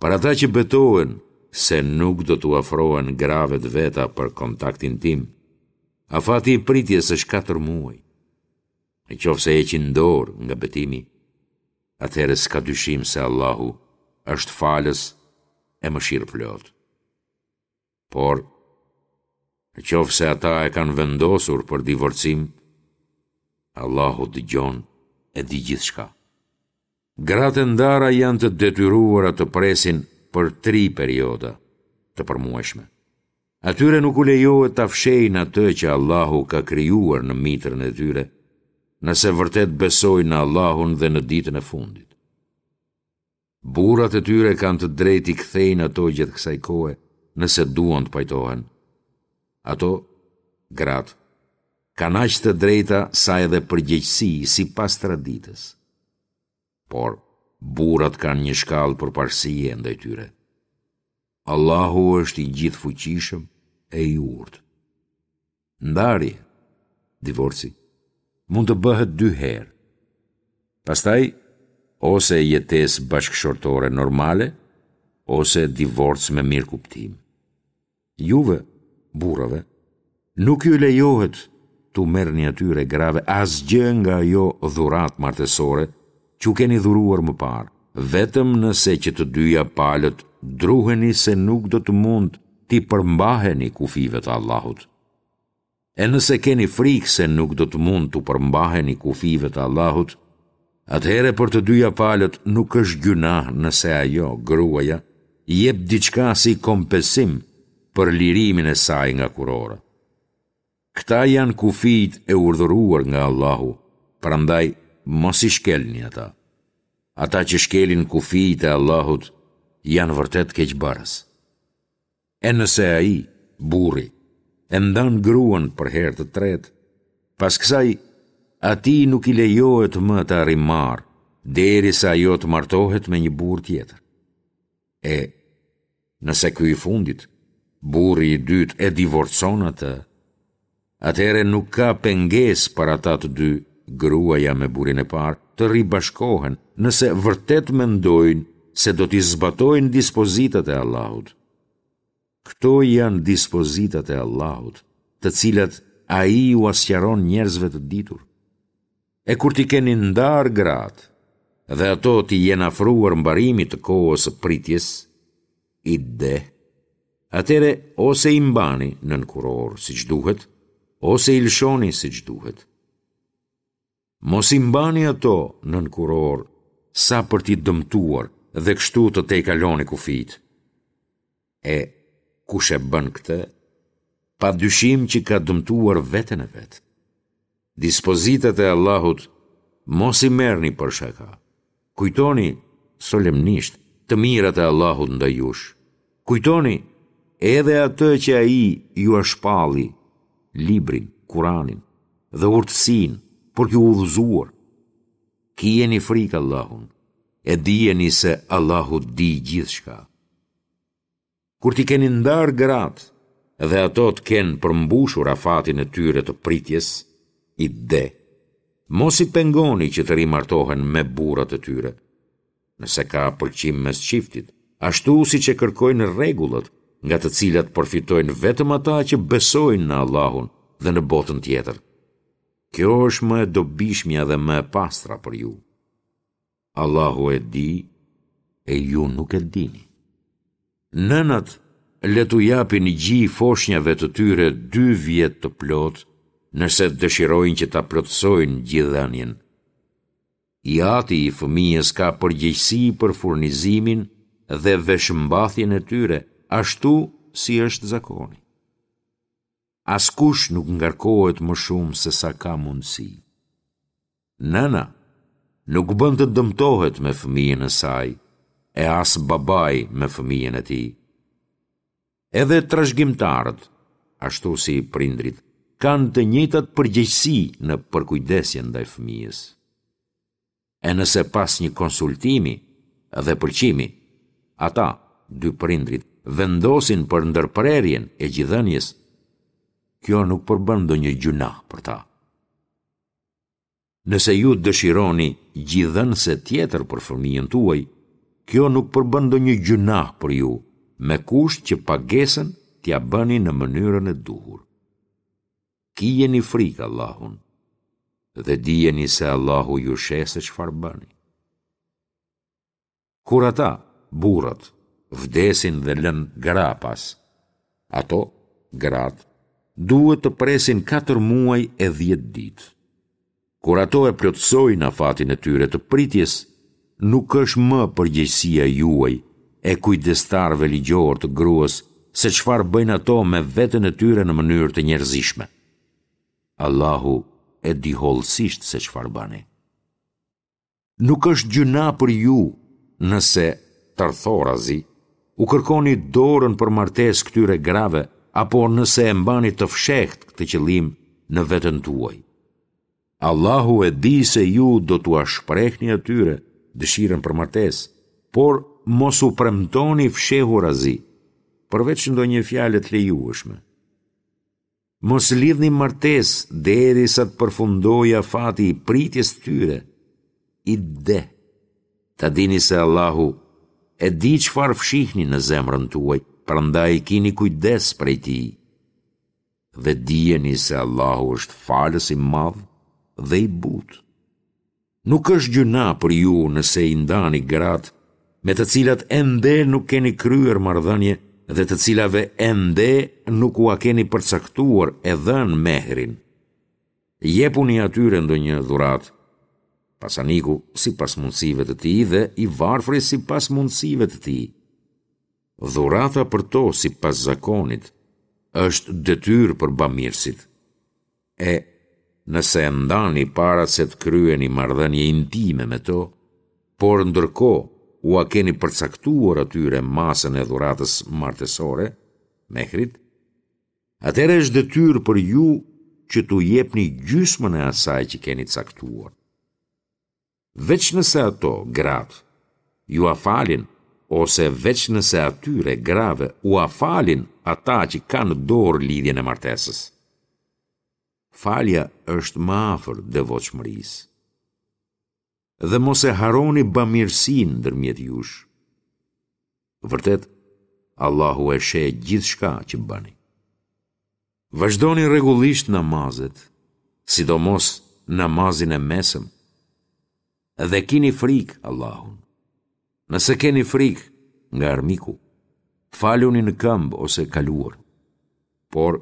Për ata që betohen se nuk do t'u afrohen grave të veta për kontakt intim, afati i pritjes është katër muaj. Në qoftë se heqin dorë nga betimi, atëherë s'ka dyshim se Allahu është falës e mëshirëplotë. Por, në qoftë se ata e kanë vendosur për divorcim, Allahu dëgjon e di gjithçka. Gratë e ndara janë të detyruara të presin për tri perioda të përmuajshme. Atyre nuk u lejohet ta fshehin atë që Allahu ka krijuar në mitrën e tyre, nëse vërtet besojnë në Allahun dhe në ditën e fundit. Burrat e tyre kanë të drejtë t'i kthejnë ato gjatë kësaj kohe, nëse duan të pajtohen. Ato, gratë, kanë aq të drejta sa edhe përgjegjësi sipas traditës. Por, Burrat kanë një shkallë përparësie ndaj tyre. Allahu është i gjithëfuqishëm e i urtë. Ndarje, divorci, mund të bëhet dy herë. Pastaj, ose jetesë bashkëshortore normale, ose divorc me mirëkuptim. Juve, burrave, nuk ju lejohet t'u merrni atyre grave asgjë nga ajo dhuratë martesore që u keni dhuruar më parë, vetëm nëse që të dyja palët druheni se nuk do të mund t'i përmbaheni kufijve të Allahut. E nëse keni frikë se nuk do të mund t'u përmbaheni kufijve të Allahut, atëherë për të dyja palët nuk është gjynah nëse ajo, gruaja, jep diçka si kompensim për lirimin e saj nga kurora. Këta janë kufijtë e urdhëruar nga Allahu, prandaj mos i shkelni ata. Ata që shkelin kufijtë e Allahut janë vërtet keqbërës. E nëse ai, burri, e ndan gruan për herë të tretë, pas kësaj, atij nuk i lejohet më ta rimarrë, derisa ajo të martohet me një burrë tjetër. E, nëse ky i fundit, burri i dytë e divorcon atë, atëherë nuk ka pengesë për ata të dy, gruaja me burrin e parë, të ribashkohen, nëse vërtet mendojnë se do t'i zbatojnë dispozitat e Allahut. Këto janë dispozitat e Allahut, të cilat ai ua sqaron njerëzve të ditur. E kur t'i keni ndarë gratë dhe ato t'i jenë afruar mbarimit të kohës së pritjes, idde, atëherë ose i mbani nën kurorë siç duhet, ose i lëshoni siç duhet. Mos i mbani ato nën kurorë sa për t'i dëmtuar dhe kështu të tejkaloni kufijtë. E kush e bën këtë, pa dyshim që ka dëmtuar veten e vet. Dispozitat e Allahut mos i merrni për shaka. Kujtoni solemnisht të mirat e Allahut ndaj jush. Kujtoni edhe atë që ai jua shpalli, librin, Kuranin dhe urtësinë për t'ju udhëzuar. Kijeni frikë Allahun, e dijeni se Allahu di gjithçka. Kur t'i keni ndarë gratë dhe ato të kenë përmbushur afatin e tyre të pritjes, idde, mos i pengoni që të rimartohen me burrat e tyre, nëse ka pëlqim mes çiftit, ashtu siç e kërkojnë rregullat, nga të cilat përfitojnë vetëm ata që besojnë në Allahun dhe në botën tjetër. Kjo është më e dobishmja dhe më e pastra për ju. Allahu e di e ju nuk e dini. Nënat le t'u japin gji foshnjave të tyre dy vjet të plotë, nëse dëshirojnë që ta plotësojnë gjidhënien. I ati i fëmijës ka përgjegjësi për furnizimin dhe veshmbathjen e tyre, ashtu si është zakoni. Askush nuk ngarkohet më shumë se sa ka mundësi. Nëna nuk bën të dëmtohet me fëmijën e saj, e as babai me fëmijën e tij. Edhe trashëgimtarët, ashtu si prindërit, kanë të njëjtat përgjegjësi në përkujdesjen ndaj fëmijës. E nëse pas një konsultimi dhe pëlqimi, ata, dy prindërit, vendosin për ndërprerjen e gjidhënies, kjo nuk përbën ndonjë gjynah për ta. Nëse ju dëshironi gjidhënëse tjetër për fëmijën tuaj, kjo nuk përbën ndonjë gjynah për ju, me kusht që pagesën t'ia bëni në mënyrën e duhur. Kijeni frikë Allahun dhe dijeni se Allahu ju sheh se çfarë bëni. Kur ata, burrat, vdesin dhe lënë gra pas, ato, gratë, duhet të presin katër muaj e dhjetë ditë. Kur ato e plotësojnë afatin e tyre të pritjes, nuk është më përgjegjësia juaj e kujdestarëve ligjorë të gruas se çfarë bëjnë ato me veten e tyre në mënyrë të njerëzishme. Allahu e di hollësisht se çfarë bëni. Nuk është gjynah për ju nëse, tërthorazi, u kërkoni dorën për martesë këtyre grave apo nëse e mbani të fshehtë këtë qëllim në veten tuaj. Allahu e di se ju do t'ua shprehni atyre dëshirën për martesë, por mos u premtoni fshehurazi, përveç ndonjë fjale të lejueshme. Mos lidhni martesë derisa të përfundojë afati i pritjes së tyre, idde. Ta dini se Allahu e di çfarë fshihni në zemrën tuaj, prandaj kini kujdes prej tij. Dhe dijeni se Allahu është falës i madh dhe i butë. Nuk është gjynah për ju nëse i ndani gratë me të cilat ende nuk keni kryer marrëdhënie dhe të cilave ende nuk ua keni përcaktuar e dhënë mehrin. Jepuni atyre ndonjë dhuratë, pasaniku sipas mundësive të tij dhe i varfri sipas mundësive të tij. Dhurata për to sipas zakonit është detyrë për bamirësit. E, nëse e ndani para se të kryeni marrëdhënie intime me to, por ndërkohë ua keni përcaktuar atyre masën e dhuratës martesore, mehrit, atëherë është detyrë për ju që t'u jepni gjysmën e asaj që keni caktuar. Veç nëse ato, gratë, jua falin, ose veç nëse atyre, grave, ua falin ata që kanë në dorë lidhjen e martesës. Falja është më afër devotshmërisë. Dhe mos e harroni bamirësinë ndërmjet jush. Vërtet, Allahu e sheh gjithçka që bëni. Vazhdoni rregullisht namazet, sidomos namazin e mesëm, dhe kini frikë Allahun. Nëse keni frikë nga armiku, faluni në këmbë ose kaluar. Por,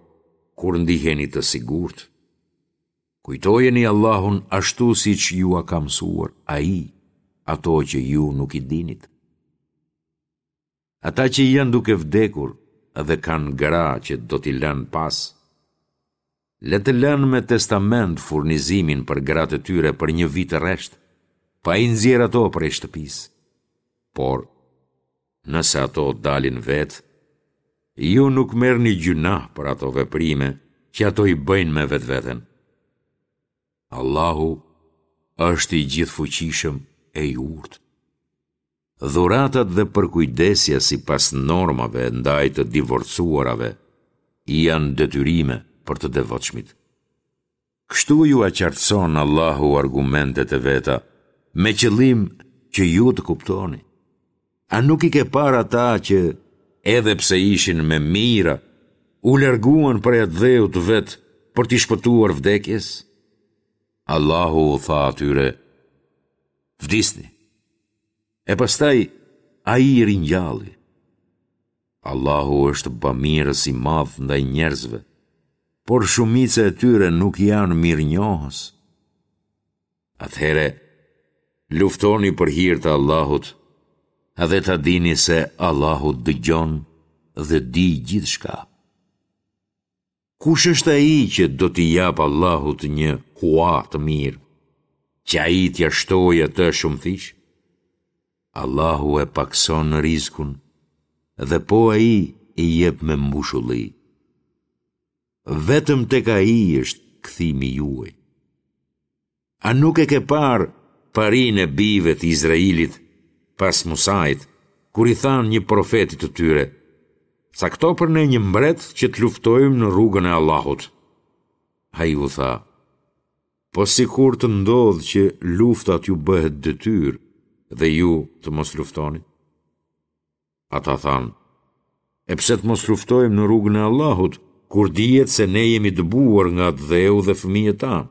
kur ndiheni të sigurt, kujtojeni Allahun ashtu siç jua ka mësuar Ai ato që ju nuk i dinit. Ata që janë duke vdekur dhe kanë gra që do t'i lënë pas, le të lënë me testament furnizimin për gratë e tyre për një vit rresht, pa i nxjerrë ato prej shtëpisë. Por, nëse ato dalin vetë, ju nuk merrni gjynah për ato veprime që ato i bëjnë me vetveten. Allahu është i gjithëfuqishëm e i urtë. Dhuratat dhe përkujdesja sipas normave ndaj të divorcuarave janë detyrime për të devotshmit. Kështu jua qartëson Allahu argumentet e veta, me qëllim që ju të kuptoni. A nuk i ke parë ata që, edhe pse ishin me mijëra, u larguan prej atdheut të vet për t'i shpëtuar vdekjes? Allahu u tha atyre, Vdisni. E pastaj ai i ringjalli. Allahu është bamirës i madh ndaj njerëzve, por shumica e tyre nuk janë mirënjohës. Atëherë, luftoni për hir të Allahut dhe ta dini se Allahu dëgjon dhe di gjithçka. Kush është ai që do t'i japë Allahut një hua të mirë, që ai t'ia shtojë atë shumëfish? Allahu e pakëson rizkun dhe po ai e jep me mbushulli. Vetëm tek ai është kthimi juaj. A nuk e ke parë parinë e bijve të Izraelit pas Musait, kur i thanë një profeti të tyre, Cakto për ne një mbret që të luftojmë në rrugën e Allahut. Ai u tha, Po sikur të ndodhë që lufta t'ju bëhet detyrë dhe ju të mos luftoni? Ata thanë, E pse të mos luftojmë në rrugën e Allahut, kur dihet se ne jemi dëbuar nga atdheu dhe fëmijët tanë?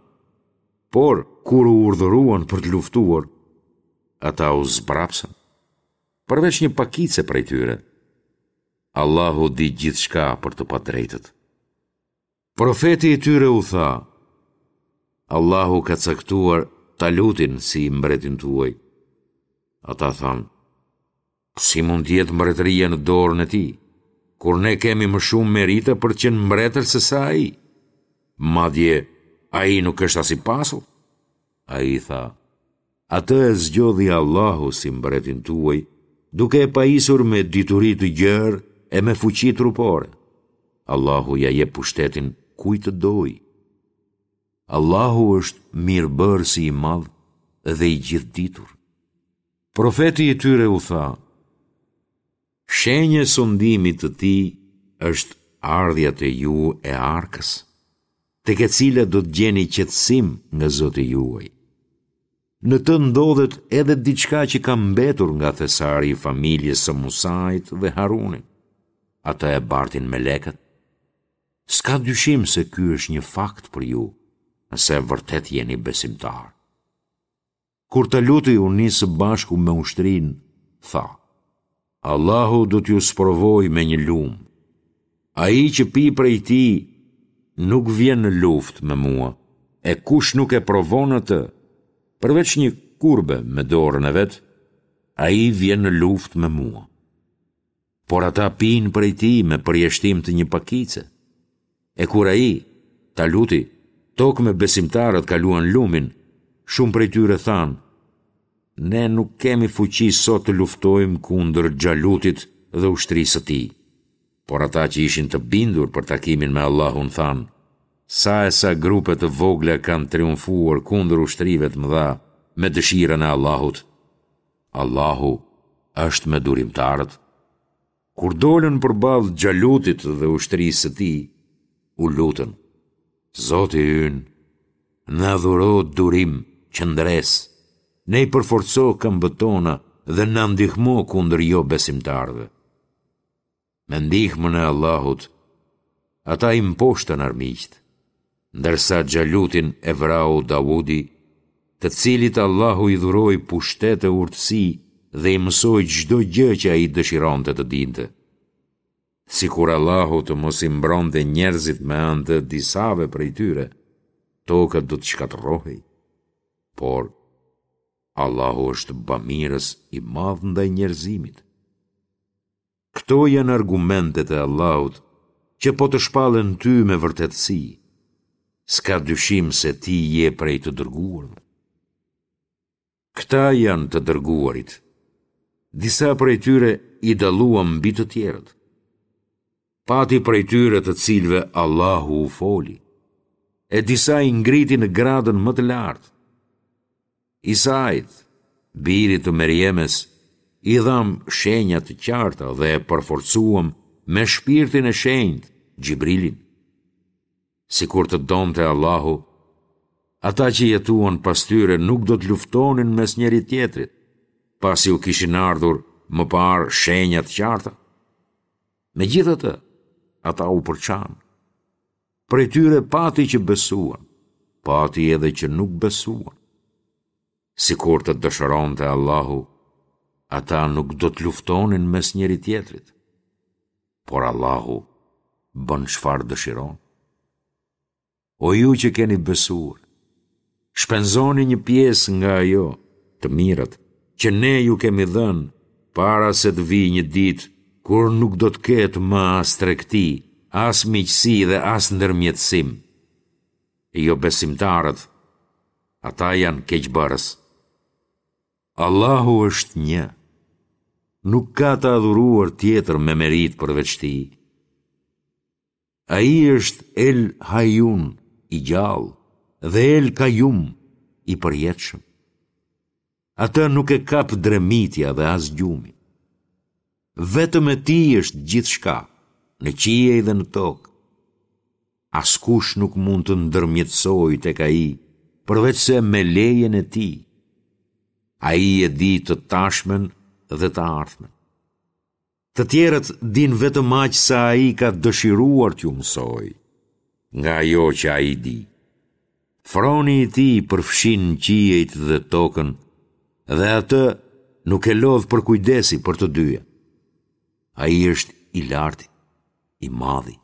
Por, kur u urdhëruan për të luftuar, ata u zbrapsën, përveç një pakice prej tyre. Allahu di gjithçka për të padrejtët. Profeti i tyre u tha, Allahu ka caktuar Talutin si mbretin tuaj. Ata thanë, Si mund të jetë mbretëria në dorën e tij, kur ne kemi më shumë merita për të qenë mbretër se sa ai? Madje, ai nuk është as i pasur. Ai tha, Atë e zgjodhi Allahu si mbretin tuaj, duke e pajisur me dituri të gjerë e me fuqi trupore. Allahu ia jep pushtetin kujt të dojë. Allahu është mirëbërësi i madh dhe i gjithëditur. Profeti i tyre u tha, Shenjë e sundimit të tij është ardhja te ju e arkës, tek e cila do të gjeni qetësim nga Zoti juaj. Në të ndodhet edhe diçka që ka mbetur nga thesari i familjes së Musait dhe Harunit. Atë e bartin melekët. S'ka dyshim se ky është një fakt për ju, nëse vërtet jeni besimtarë. Kur Taluti u nis së bashku me ushtrinë, tha: Allahu do t'ju sprovojë me një lumë. Ai që pi prej tij nuk vjen në luftë me mua, e kush nuk e provon atë, përveç një kurbe me dorën e vet, ai vjen në luftë me mua. Por ata pinë prej tij me përjashtim të një pakice. E kur ai, Taluti, tok me besimtarët kaluan lumin, shumë prej tyre thanë, Ne nuk kemi fuqi sot të luftojmë kundër Xhalutit dhe ushtrisë së tij. Por ata që ishin të bindur për takimin me Allahun thanë, Sa e sa grupe të vogla kanë triumfuar kundër ushtrive të mëdha me dëshirën e Allahut. Allahu është me durimtarët. Kur dolën përballë Xhalutit dhe ushtrisë së tij, u lutën, Zoti ynë, na dhuro durim, qëndresë, na i përforco këmbët tona dhe na ndihmo kundër jobesimtarëve. Me ndihmën e Allahut, ata i mposhtën armiqtë, ndërsa Xhalutin e vrau Davudi, të cilit Allahu i dhuroi pushtet e urtësi dhe i mësoi çdo gjë që ai dëshironte të dinte. Sikur Allahu të mos i mbronte njerëzit me anë të disave prej tyre, toka do të shkatërrohej. Por, Allahu është bamirës i madh ndaj njerëzimit. Këto janë argumentet e Allahut që po të shpallen ty me vërtetësi. S'ka dyshim se ti je prej të dërguarve. Këta janë të dërguarit. Disa prej tyre i dalluam mbi të tjerët. Pati prej tyre të cilëve Allahu u foli, e disa i ngriti në gradën më të lartë. Isait, birit të Merjemes, i dhamë shenja të qarta dhe e përforcuam me shpirtin e shenjtë, Xhibrilin. Sikur të donte Allahu, ata që jetuan pas tyre nuk do të luftonin mes njëri-tjetrit, pasi u kishin ardhur më parë shenja të qarta. Megjithatë, ata u përçanë. Prej tyre pati që besuan, pati edhe që nuk besuan. Sikur të dëshironte Allahu, ata nuk do të luftonin mes njëri-tjetrit. Por Allahu bën çfarë dëshiron. O ju që keni besuar, shpenzoni një pjesë nga ajo, të mirat, që ne ju kemi dhënë, para se të vijë një ditë kur nuk do të ketë më as tregti, as miqësi dhe as ndërmjetësim. Jobesimtarët, ata janë keqbërës. Allahu është një. Nuk ka të adhuruar tjetër me meritë përveç tij. Ai është El Hajjun, i gjallë, dhe El Kajum, i përjetshëm. Atë nuk e kap dremitja dhe as gjumi. Vetëm e tij është gjithçka, në qiej dhe në tokë. Askush nuk mund të ndërmjetësojë tek ai, përveçse me lejen e tij. Ai e di të tashmen dhe të ardhmen. Të tjerët dinë vetëm aq sa ai ka dëshiruar t'ju mësojë, nga ajo që ai di. Froni i tij përfshin qiejt dhe tokën dhe atë nuk e lodh përkujdesi për të dyja. Ai është i larti, i madhi.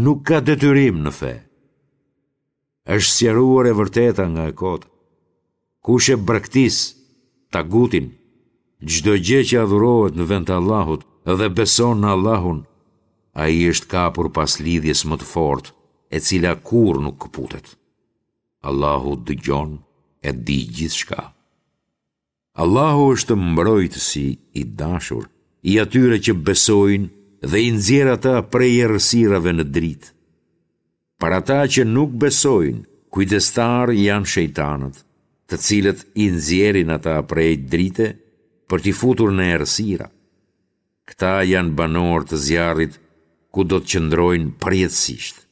Nuk ka detyrim në fe. Është sqaruar e vërteta nga e kota. Kush e braktis tagutin, çdo gjë që adhurohet në vend të Allahut dhe beson në Allahun, ai është kapur pas lidhjes më të fortë, e cila kurrë nuk këputet. Allahu dëgjon e di gjithçka. Allahu është mbrojtësi i dashur i atyre që besojnë dhe i nxjerr ata prej errësirave në dritë. Për ata që nuk besojnë, kujdestarë janë shejtanët, të cilët i nxjerrin ata prej drite për t'i futur në errësira. Këta janë banorë të zjarrit ku do të qëndrojnë përjetësisht.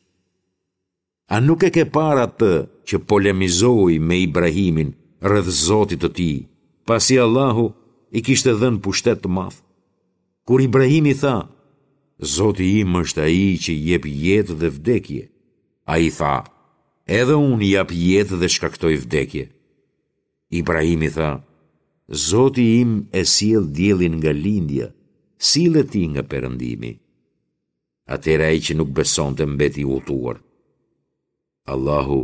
A nuk e ke parë atë që polemizoi me Ibrahimin rreth Zotit të tij, pasi Allahu i kishte dhënë pushtet të madh? Kur Ibrahimi tha, Zoti im është ai që jep jetë dhe vdekje, ai tha, edhe unë jap jetë dhe shkaktoj vdekje. Ibrahimi tha, Zoti im e sjell diellin nga lindja, sille ti nga perëndimi. Atëherë ai që nuk besonte mbeti i hutuar. Allahu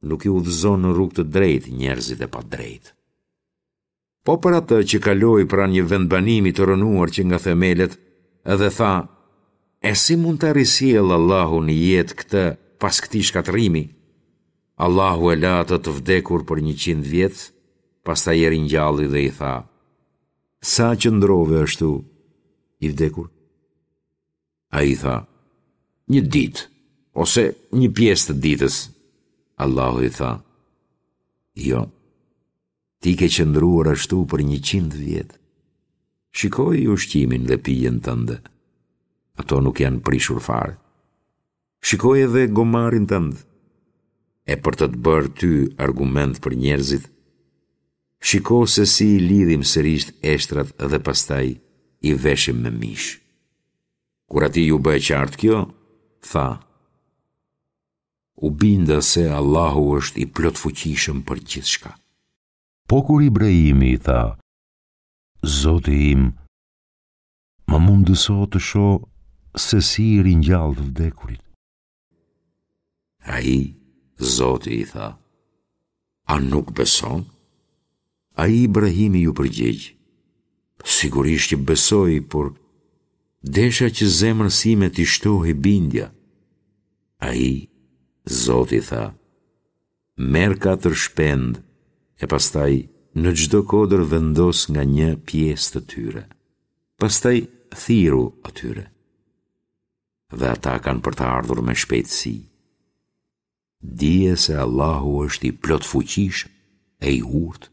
nuk i udhëzon në rrugë të drejtë njerëzit e padrejtë. Po për atë që kaloi pranë një vendbanimi të rrënuar që nga themelet dhe tha, e si mund ta risjellë Allahu në jetë këtë pas këtij shkatërrimi? Allahu e la atë të vdekur për njëqind vjet, pastaj e ringjalli dhe i tha, sa qëndrove ashtu i vdekur? Ai tha, një ditë, ose një pjesë të ditës. Allahu i tha, jo, ti ke qëndruar ashtu për njëqind vjet. Shikoje ushqimin dhe pijen tënde. Ato nuk janë prishur fare. Shikoje edhe gomarin tënd. E për të të bërë ty argument për njerëzit, shiko se si i lidhim sërish eshtrat dhe pastaj i veshim me mish. Kur atij iu bë e qartë kjo, tha, u binda se Allahu është i plotfuqishëm për gjithçka. Po kur Ibrahimi i tha, Zoti im, më mundëso të shoh se si i ringjall të vdekurit. Ai, Zoti i tha, a nuk beson? Ai Ibrahimi iu përgjigj, sigurisht që besoj, por desha që zemrës sime t'i shtohej bindja. Ai, Zoti tha, merr katër shpendë e pastaj në çdo kodër vendos nga një pjesë të tyre. Pastaj thirru atyre. Dhe ata kanë për të ardhur me shpejtësi. Dije se Allahu është i plotfuqishëm e i urtë.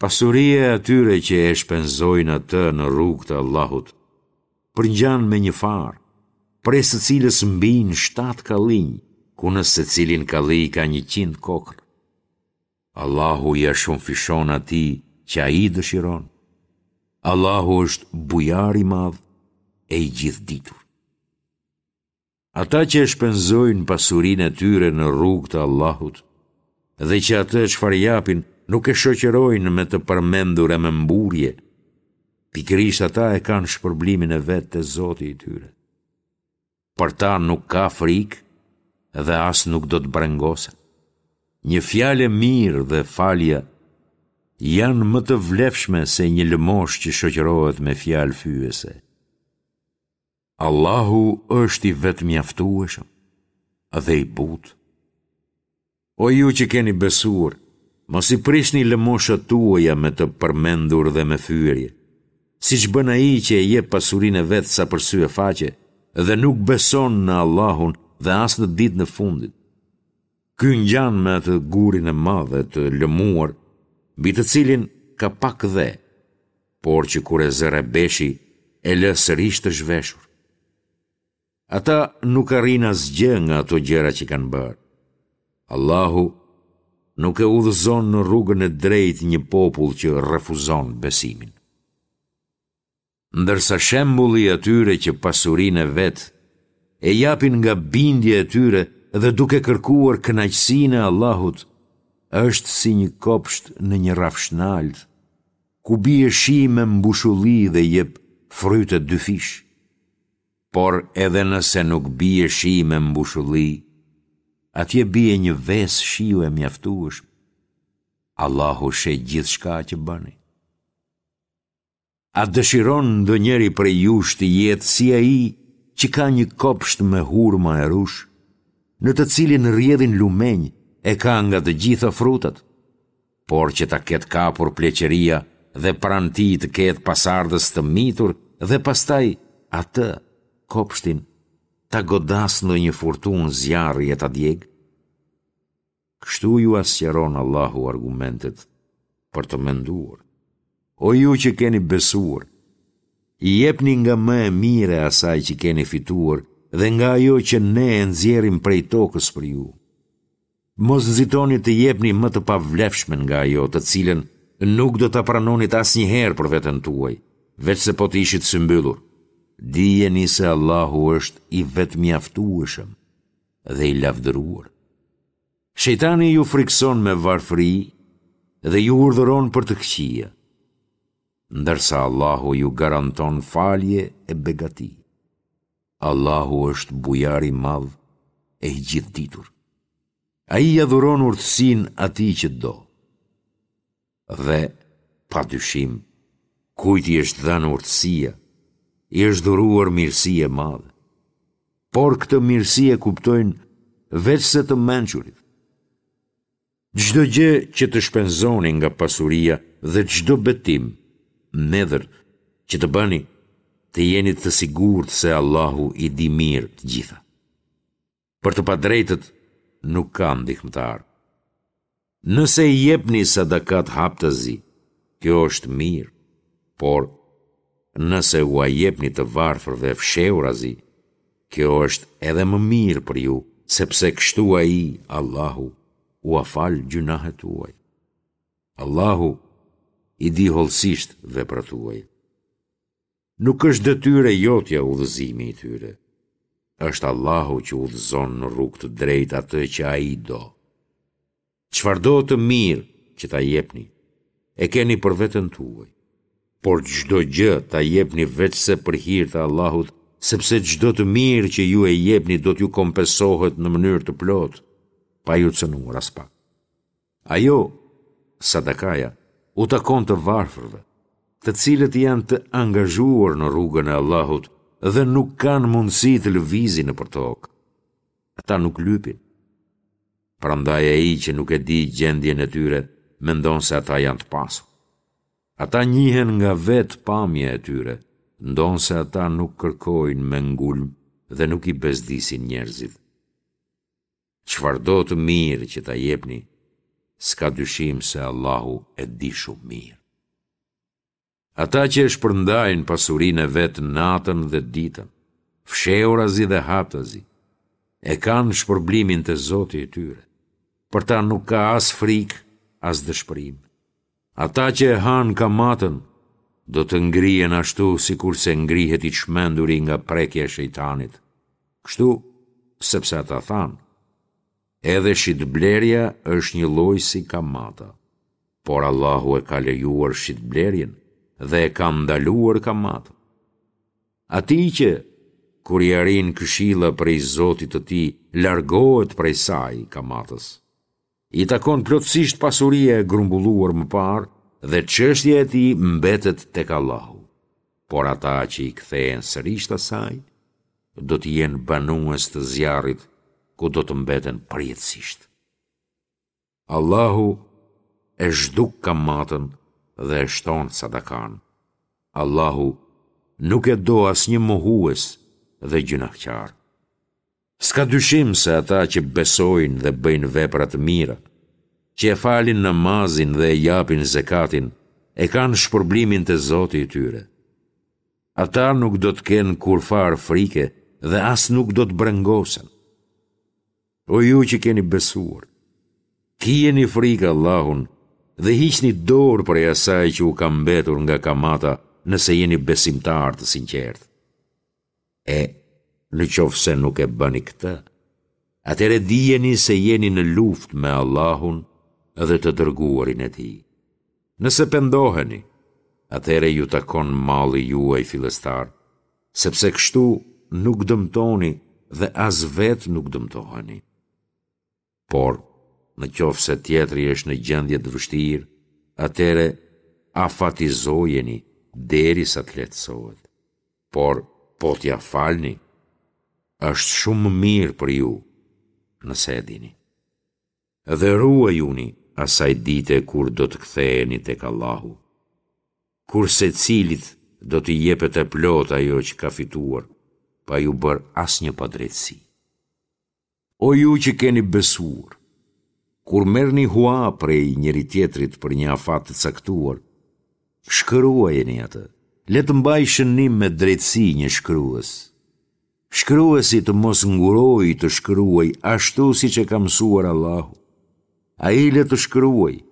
Pasuria e atyre që e shpenzojnë atë në rrugë të Allahut, përngjan me një farë, prej së cilës mbijnë shtatë kallinj, ku në secilin kalli ka njëqind kokrra. Allahu ia shumëfishon atij që ai dëshiron. Allahu është bujar i madh e i gjithëditur. Ata që e shpenzojnë pasurinë e tyre në rrugë të Allahut dhe që atë çfarë japin nuk e shoqërojnë me të përmendur e me mburrje, pikërisht ata e kanë shpërblimin e vet te Zoti i tyre. Për ta nuk ka frikë dhe as nuk do të brengosen. Një fjalë e mirë dhe falja janë më të vlefshme se një lëmoshë që shoqërohet me fjalë fyese. Allahu është i vetëmjaftueshëm dhe i butë. O ju që keni besuar, mos i prishni lëmoshat tuaja me të përmendur dhe me fyerje, siç bën ai që e jep pasurinë e vet sa për sy e faqe dhe nuk beson në Allahun dhe as në ditën e fundit. Ky ngjan me atë gurin e madh e të lëmuar, mbi të cilin ka pak dhe, por që kur e zë rrebeshi e lë sërish të zhveshur. Ata nuk arrijnë asgjë nga ato gjëra që kanë bërë. Allahu nuk e udhëzon në rrugën e drejtë një popull që refuzon besimin. Ndërsa shembulli i atyre që pasurinë e vet e japin nga bindja e tyre dhe duke kërkuar kënaqësinë e Allahut, është si një kopsht në një rrafshnaltë, ku bie shi me mbushulli dhe jep fryte dyfish. Por edhe nëse nuk bie shi me mbushulli, atje bie një vesë shiu e mjaftueshme. Allahu sheh gjithçka që bëni. A dëshiron ndonjëri prej jush të jetë si ai që ka një kopsht me hurma e rrush, në të cilin rrjedhin lumenj e ka nga të gjitha frutat, por që ta ketë kapur pleqëria dhe pranë tij të ketë pasardhës të mitur dhe pastaj atë, kopshtin, ta godasë ndonjë furtunë zjarri e ta djegë? Kështu jua sqaron Allahu argumentet për të menduar. O ju që keni besuar, jepni nga më e mira e asaj që keni fituar dhe nga ajo që ne e nxjerrim prej tokës për ju. Mos nxitoni të jepni më të pavlefshmen nga ajo të cilën nuk do ta pranonit asnjëherë për veten tuaj, veçse po të ishit symbyllur. Dijeni se Allahu është i vetëmjaftueshëm dhe i lavdëruar. Shejtani ju frikëson me varfëri dhe ju urdhëron për të këqija, ndërsa Allahu ju garanton falje e begati. Allahu është bujar i madh e i gjithëditur. Ai ia dhuron urtësinë atij që do. Dhe, pa dyshim, kujt i është dhënë urtësia, i është dhuruar mirësi e madhe. Por këtë mirësi e kuptojnë veçse të mençurit. Çdo gjë që të shpenzoni nga pasuria dhe çdo betim, nedhër, që të bëni, të jeni të sigurt se Allahu i di mirë të gjitha. Për të padrejtët nuk ka ndihmëtar. Nëse i jepni sadakat haptazi, kjo është mirë, por nëse ua jepni të varfërve fshehurazi, kjo është edhe më mirë për ju, sepse kështu Ai, Allahu, ua fal gjynahet tuaj. Allahu i di hollësisht veprat tuaja. Nuk është detyrë e jotja udhëzimi i tyre. Është Allahu që udhëzon në rrugë të drejtë atë që Ai do. Çfarëdo të mirë që ta jepni, e keni për veten tuaj. Por çdo gjë ta jepni veçse për hir të Allahut, sepse çdo të mirë që ju e jepni do t'ju kompensohet në mënyrë të plotë, pa ju cënuar aspak. Ajo, sadakaja, u takon të varfërve, të cilët janë të angazhuar në rrugën e Allahut dhe nuk kanë mundësi të lëvizin nëpër tokë. Ata nuk lypin. Prandaj ai që nuk e di gjendjen e tyre, mendon se ata janë të pasur. Ata njihen nga vetë pamja e tyre, ndonëse ata nuk kërkojnë me ngulm dhe nuk i bezdisin njerëzit. Çfarëdo të mirë që ta jepni, s'ka dyshim se Allahu e di shumë mirë. Ata që e shpërndajnë pasurinë e vet natën dhe ditën, fshehurazi dhe haptazi, e kanë shpërblimin te Zoti i tyre. Për ta nuk ka as frikë, as dëshpërim. Ata që e hanë kamatën, do të ngrihen ashtu sikurse ngrihet i çmenduri nga prekja e shejtanit. Kështu, sepse ata thanë, edhe shitblerja është njëlloj si kamata, por Allahu e ka lejuar shitblerjen dhe e ka ndaluar kamatën. Atij që, kur i arrin këshilla prej Zotit të tij, largohet prej saj, kamatës. I takon plotësisht pasuria e grumbulluar më parë dhe çështja e tij mbetet tek Allahu. Por ata që i kthehen sërish asaj, do të jenë banues të zjarrit ku do të mbeten përjetësisht. Allahu e zhduk kamatën dhe e shton sadakanë. Allahu nuk e do asnjë mohues dhe gjynahqar. S'ka dyshim se ata që besojnë dhe bëjnë vepra të mira, që e falin namazin dhe e japin zekatin, e kanë shpërblimin te Zoti i tyre. Ata nuk do të kenë kurrfarë frike dhe as nuk do të brengosen. O ju që keni besuar, kijeni frikë Allahun dhe hiqni dorë prej asaj që u ka mbetur nga kamata nëse jeni besimtarë të sinqertë. E, në qoftë se nuk e bëni këtë, atëherë dijeni se jeni në luftë me Allahun dhe të dërguarin e Tij. Nëse pendoheni, atëherë ju takon malli juaj fillestar, sepse kështu nuk dëmtoni dhe as vetë nuk dëmtoheni. Por, në qoftë se tjetri është në gjendje të vështirë, atëherë afatizojeni derisa të lehtësohet. Por, po t'ia falni, është shumë më mirë për ju, nëse e dini. Dhe ruajuni asaj dite kur do të ktheheni tek Allahu, kur secilit do t'i jepet e plotë ajo që ka fituar, pa iu bërë asnjë padrejtësi. O ju që keni besuar, Kur merrni hua prej njëri-tjetrit për një afat të caktuar, shkruajeni atë. Le të mbajë shënim me drejtësi një shkrues. Shkruesi të mos ngurojë të shkruajë ashtu siç e ka mësuar Allahu. Ai le të shkruajë,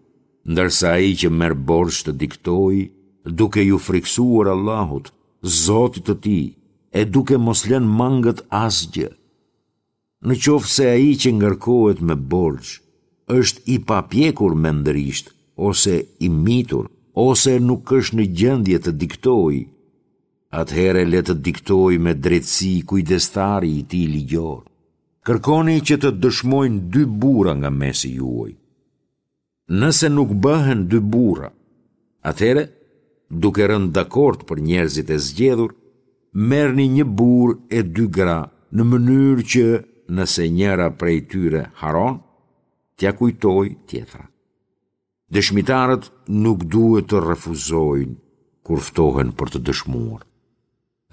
ndërsa ai që merr borxh të diktojë, duke iu frikësuar Allahut, Zotit të tij, e duke mos lënë mangët asgjë. Në qoftë se ai që ngarkohet me borxh është i papjekur mendërisht ose i mitur ose nuk është në gjendje të diktojë, atëherë le të diktojë me drejtësi kujdestari i tij ligjor. Kërkoni që të dëshmojnë dy burra nga mesi juaj. Nëse nuk bëhen dy burra, atëherë, duke rënë dakord për njerëzit e zgjedhur, merrni një burrë e dy gra në mënyrë që, nëse njëra prej tyre harron, t'ia kujtojë tjetra. Dëshmitarët nuk duhet të refuzojnë kur ftohen për të dëshmuar.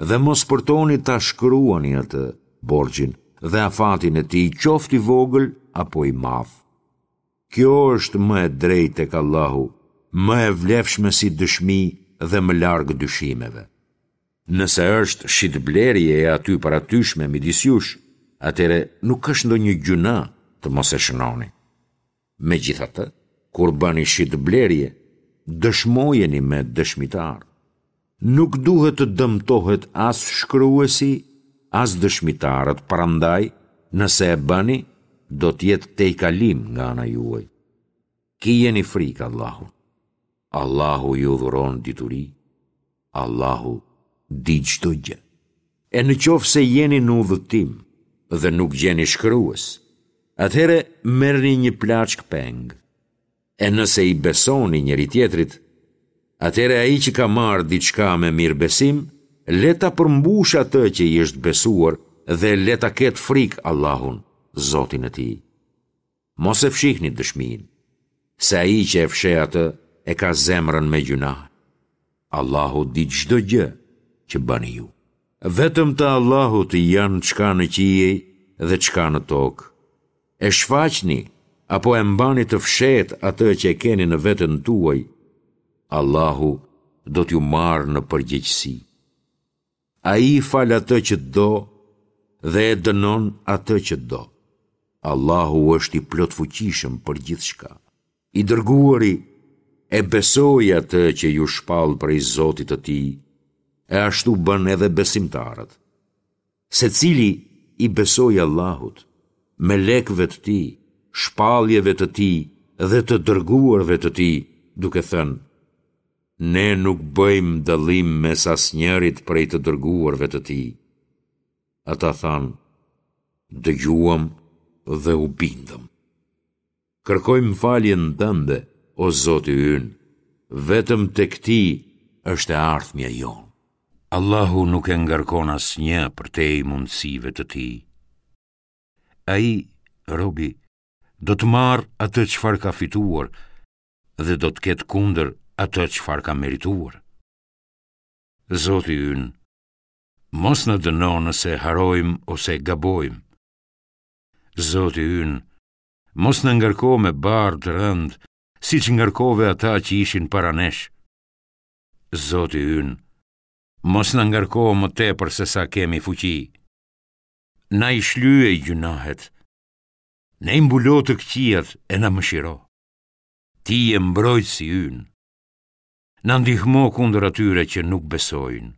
Dhe mos përtoni ta shkruani atë, borxhin, dhe afatin e tij, qoftë i vogël apo i madh. Kjo është më e drejtë tek Allahu, më e vlefshme si dëshmi dhe më larg dyshimeve. Nëse është shitblerje e aty për atyshme midis jush, atëherë nuk është ndonjë gjynah të mos e shënoni. Megjithatë, kur bëni shitblerje, dëshmojeni me dëshmitarë. Nuk duhet të dëmtohet as shkruesi, as dëshmitarët, prandaj, nëse e bëni, do të jetë tejkalim nga ana juaj. Kijeni frikë Allahun. Allahu ju dhuron dituri. Allahu di çdo gjë. E në qoftë se jeni në udhëtim dhe nuk gjeni shkrues, atëherë merrni një plaçkë peng. E nëse i besoni njëri-tjetrit, atëherë ai që ka marrë diçka me mirëbesim, le ta përmbushë atë që i është besuar dhe le ta ketë frikë Allahun, Zotin e tij. Mos e fshihni dëshminë, se ai që e fsheh atë e ka zemrën me gjynah. Allahu di çdo gjë që bëni ju. Vetëm të Allahut janë çka në qiej dhe çka në tokë. E shfaqni apo e mbani të fshehtë atë që e keni në veten tuaj, Allahu do t'ju marrë në përgjegjësi. Ai fal atë që do dhe e dënon atë që do. Allahu është i plotfuqishëm për gjithçka. I dërguari e besoi atë që iu shpall prej Zotit të tij, e ashtu bënë edhe besimtarët. Secili i besoi Allahut, melekëve të tij, shpalljeve të tij dhe të dërguarve të tij, duke thënë: Ne nuk bëjmë dallim mes asnjërit prej të dërguarve të tij. Ata thanë: Dëgjuam dhe u bindëm. Kërkojmë faljen tënde, o Zoti ynë, vetëm tek ti është e ardhmja jonë. Allahu nuk e ngarkon asnjë përtej mundësive të tij. Ai, robi, do të marrë atë çfarë ka fituar dhe do të ketë kundër atë çfarë ka merituar. Zoti ynë, mos na dëno nëse harrojmë ose gabojmë. Zoti ynë, mos na ngarko me barrë të rëndë, siç ngarkove ata që ishin para nesh. Zoti ynë, mos na ngarko më tepër se sa kemi fuqi. Na i shlyej gjynahet, na i mbulo të këqijat e na mëshiro. Ti je mbrojtësi ynë. Na ndihmo kundër atyre që nuk besojnë.